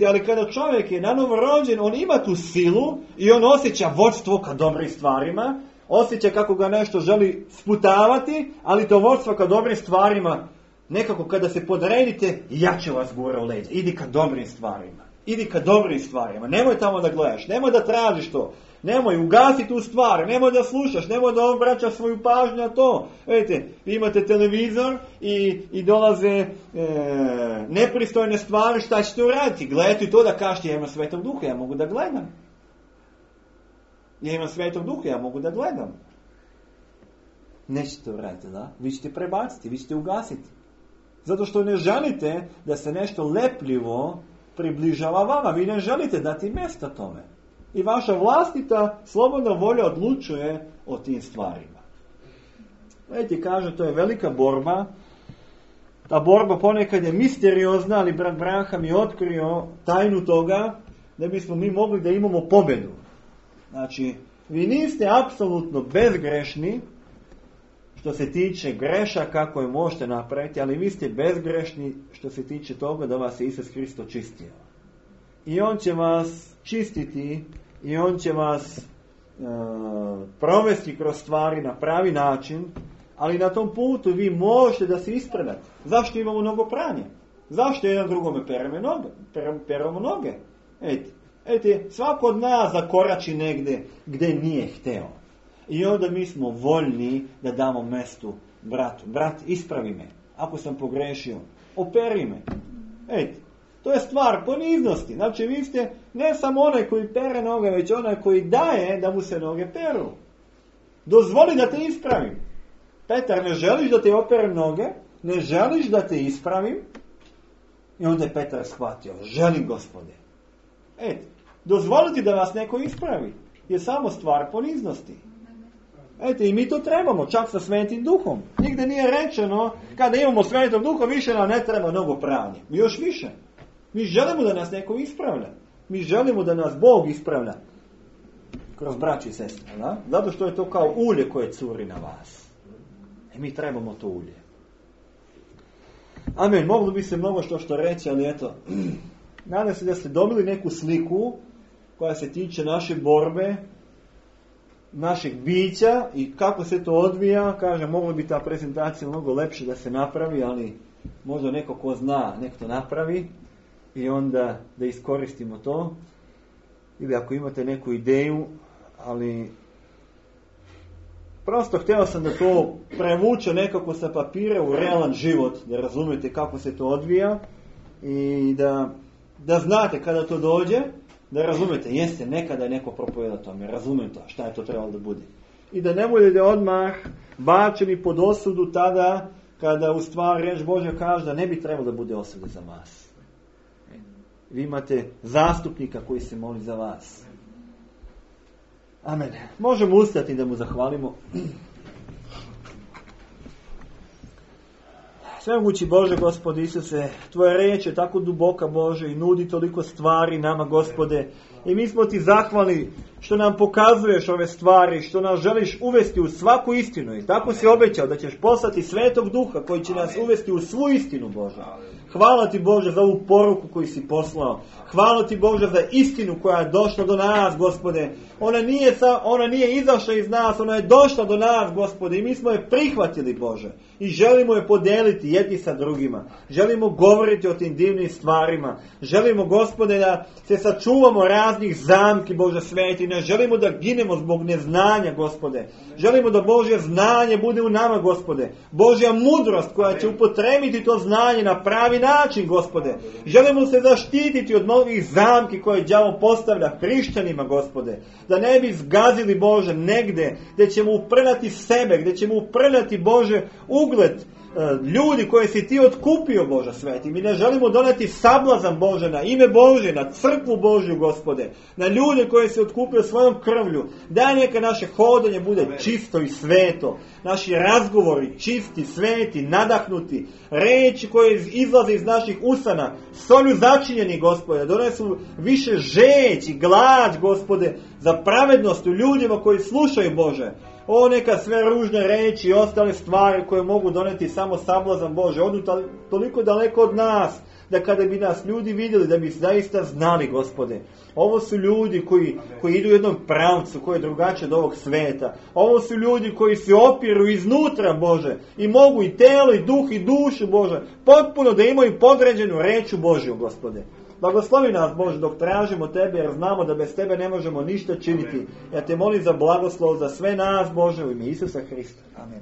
Ali kada čovjek je nanovo rođen, on ima tu silu i on osjeća vodstvo ka dobrim stvarima, Osjeća kako ga nešto želi sputavati, ali to vodstvo ka dobrim stvarima, nekako kada se podredite, jače vas gura u leđa. Idi ka dobrim stvarima. Idi ka dobrim stvarima. Nemoj tamo da gledaš, nemoj da tražiš to. Nemoj, ugasi tu stvar, nemoj da slušaš, nemoj da obraćaš svoju pažnju na to. Vidite, vi imate televizor i dolaze nepristojne stvari, šta ćete uraditi? Gledajte to da kažete, ja imam Svetog Duha, ja mogu da gledam. Ja imam Svetog Duha, ja mogu da gledam. Nećete uraditi, da? Vi ćete prebaciti, vi ćete ugasiti. Zato što ne želite da se nešto lepljivo približava vama. Vi ne želite dati mjesta tome. I vaša vlastita slobodna volja odlučuje o tim stvarima. Vidite, kaže, to je velika borba. Ta borba ponekad je misteriozna, ali brat Branham je otkrio tajnu toga da bismo mi mogli da imamo pobjedu. Znači, vi niste apsolutno bezgrešni što se tiče grešaka koje možete napraviti, ali vi ste bezgrešni što se tiče toga da vas je Isus Hristos čistio. I on će vas čistiti i on će vas provesti kroz stvari na pravi način, ali na tom putu vi možete da se ispredate. Zašto imamo mnogo pranja? Zašto jedan drugome peremo noge? Ejte, svako od nas zakorači negdje gdje nije hteo. I onda mi smo voljni da damo mestu bratu. Brat, ispravi me. Ako sam pogrešio, operi me. Ejte, to je stvar poniznosti. Znači, vi ste ne samo onaj koji pere noge, već onaj koji daje da mu se noge peru. Dozvoli da te ispravim. Petar, ne želiš da te operem noge? Ne želiš da te ispravim? I onda je Petar shvatio, želim, Gospode. Dozvoliti da vas neko ispravi je samo stvar poniznosti. I mi to trebamo, čak sa Svetim Duhom. Nigde nije rečeno, kada imamo Svetog Duha, više nam ne treba mnogo pranje. Još više. Mi želimo da nas neko ispravlja. Mi želimo da nas Bog ispravlja. Kroz braću i sestre. Da? Zato što je to kao ulje koje curi na vas. Mi trebamo to ulje. Amen. Moglo bi se mnogo što reći, ali eto. Nadam se da ste dobili neku sliku koja se tiče naše borbe, našeg bića i kako se to odvija. Kažem, mogla bi ta prezentacija mnogo lepše da se napravi, ali možda neko ko zna, nek to napravi i onda da iskoristimo to. Ili ako imate neku ideju, ali prosto htio sam da to prevuče nekako sa papira u realan život, da razumijete kako se to odvija i da znate kada to dođe, da razumijete, jeste, nekada je neko propovedao tome, razumijem to, šta je to trebalo da bude. I da ne budete odmah bačeni pod osudu tada kada u stvari riječ Božja kaže da ne bi trebalo da bude osude za vas. Vi imate zastupnika koji se moli za vas. Amen. Možemo ustati da mu zahvalimo. Svemogući Bože, Gospode Isuse, Tvoja riječ je tako duboka, Bože, i nudi toliko stvari nama, Gospode. I mi smo Ti zahvalni što nam pokazuješ ove stvari, što nas želiš uvesti u svaku istinu. I tako si obećao da ćeš poslati Svetog Duha koji će nas uvesti u svu istinu, Bože. Hvala Ti, Bože, za ovu poruku koju si poslao. Hvala Ti, Bože, za istinu koja je došla do nas, Gospode. Ona nije izašla iz nas, ona je došla do nas, Gospode. I mi smo je prihvatili, Bože. I želimo je podeliti jedni sa drugima. Želimo govoriti o tim divnim stvarima. Želimo, Gospode, da se sačuvamo raznih zamki, Bože sveti. Ne želimo da ginemo zbog neznanja, Gospode. Želimo da Božje znanje bude u nama, Gospode. Božja mudrost koja će upotrebiti to znanje na pravi način, Gospode. Želimo se zaštititi od novih zamki koje đavo postavlja hrišćanima, Gospode. Da ne bi zgazili, Bože, negde gdje ćemo uprljati sebe, gdje ćemo uprljati, Bože, ugled ljudi koje si Ti otkupio, Bože sveti. Mi ne želimo doneti sablazan, Bože, na ime Bože, na crkvu Božju, Gospode, na ljude koje si otkupio svojom krvlju. Daj neka naše hodanje bude čisto i sveto, naši razgovori čisti, sveti, nadahnuti, reči koje izlaze iz naših usana, solju začinjeni, Gospode, donesu više žeć i glad, Gospode, za pravednost u ljudima koji slušaju, Bože. O, neka sve ružne reči i ostale stvari koje mogu doneti samo sablazan, Bože, odu toliko daleko od nas da kada bi nas ljudi vidjeli, da bi zaista znali, Gospode. Ovo su ljudi koji idu u jednom pravcu, koji je drugačiji od ovog sveta. Ovo su ljudi koji se opiru iznutra, Bože, i mogu i telo, i duh, i dušu, Bože, potpuno da imaju podređenu reč Božju, Gospode. Blagoslovi nas, Bože, dok tražimo Tebe, jer znamo da bez Tebe ne možemo ništa činiti. Ja Te molim za blagoslov za sve nas, Bože, u ime Isusa Hrista. Amen.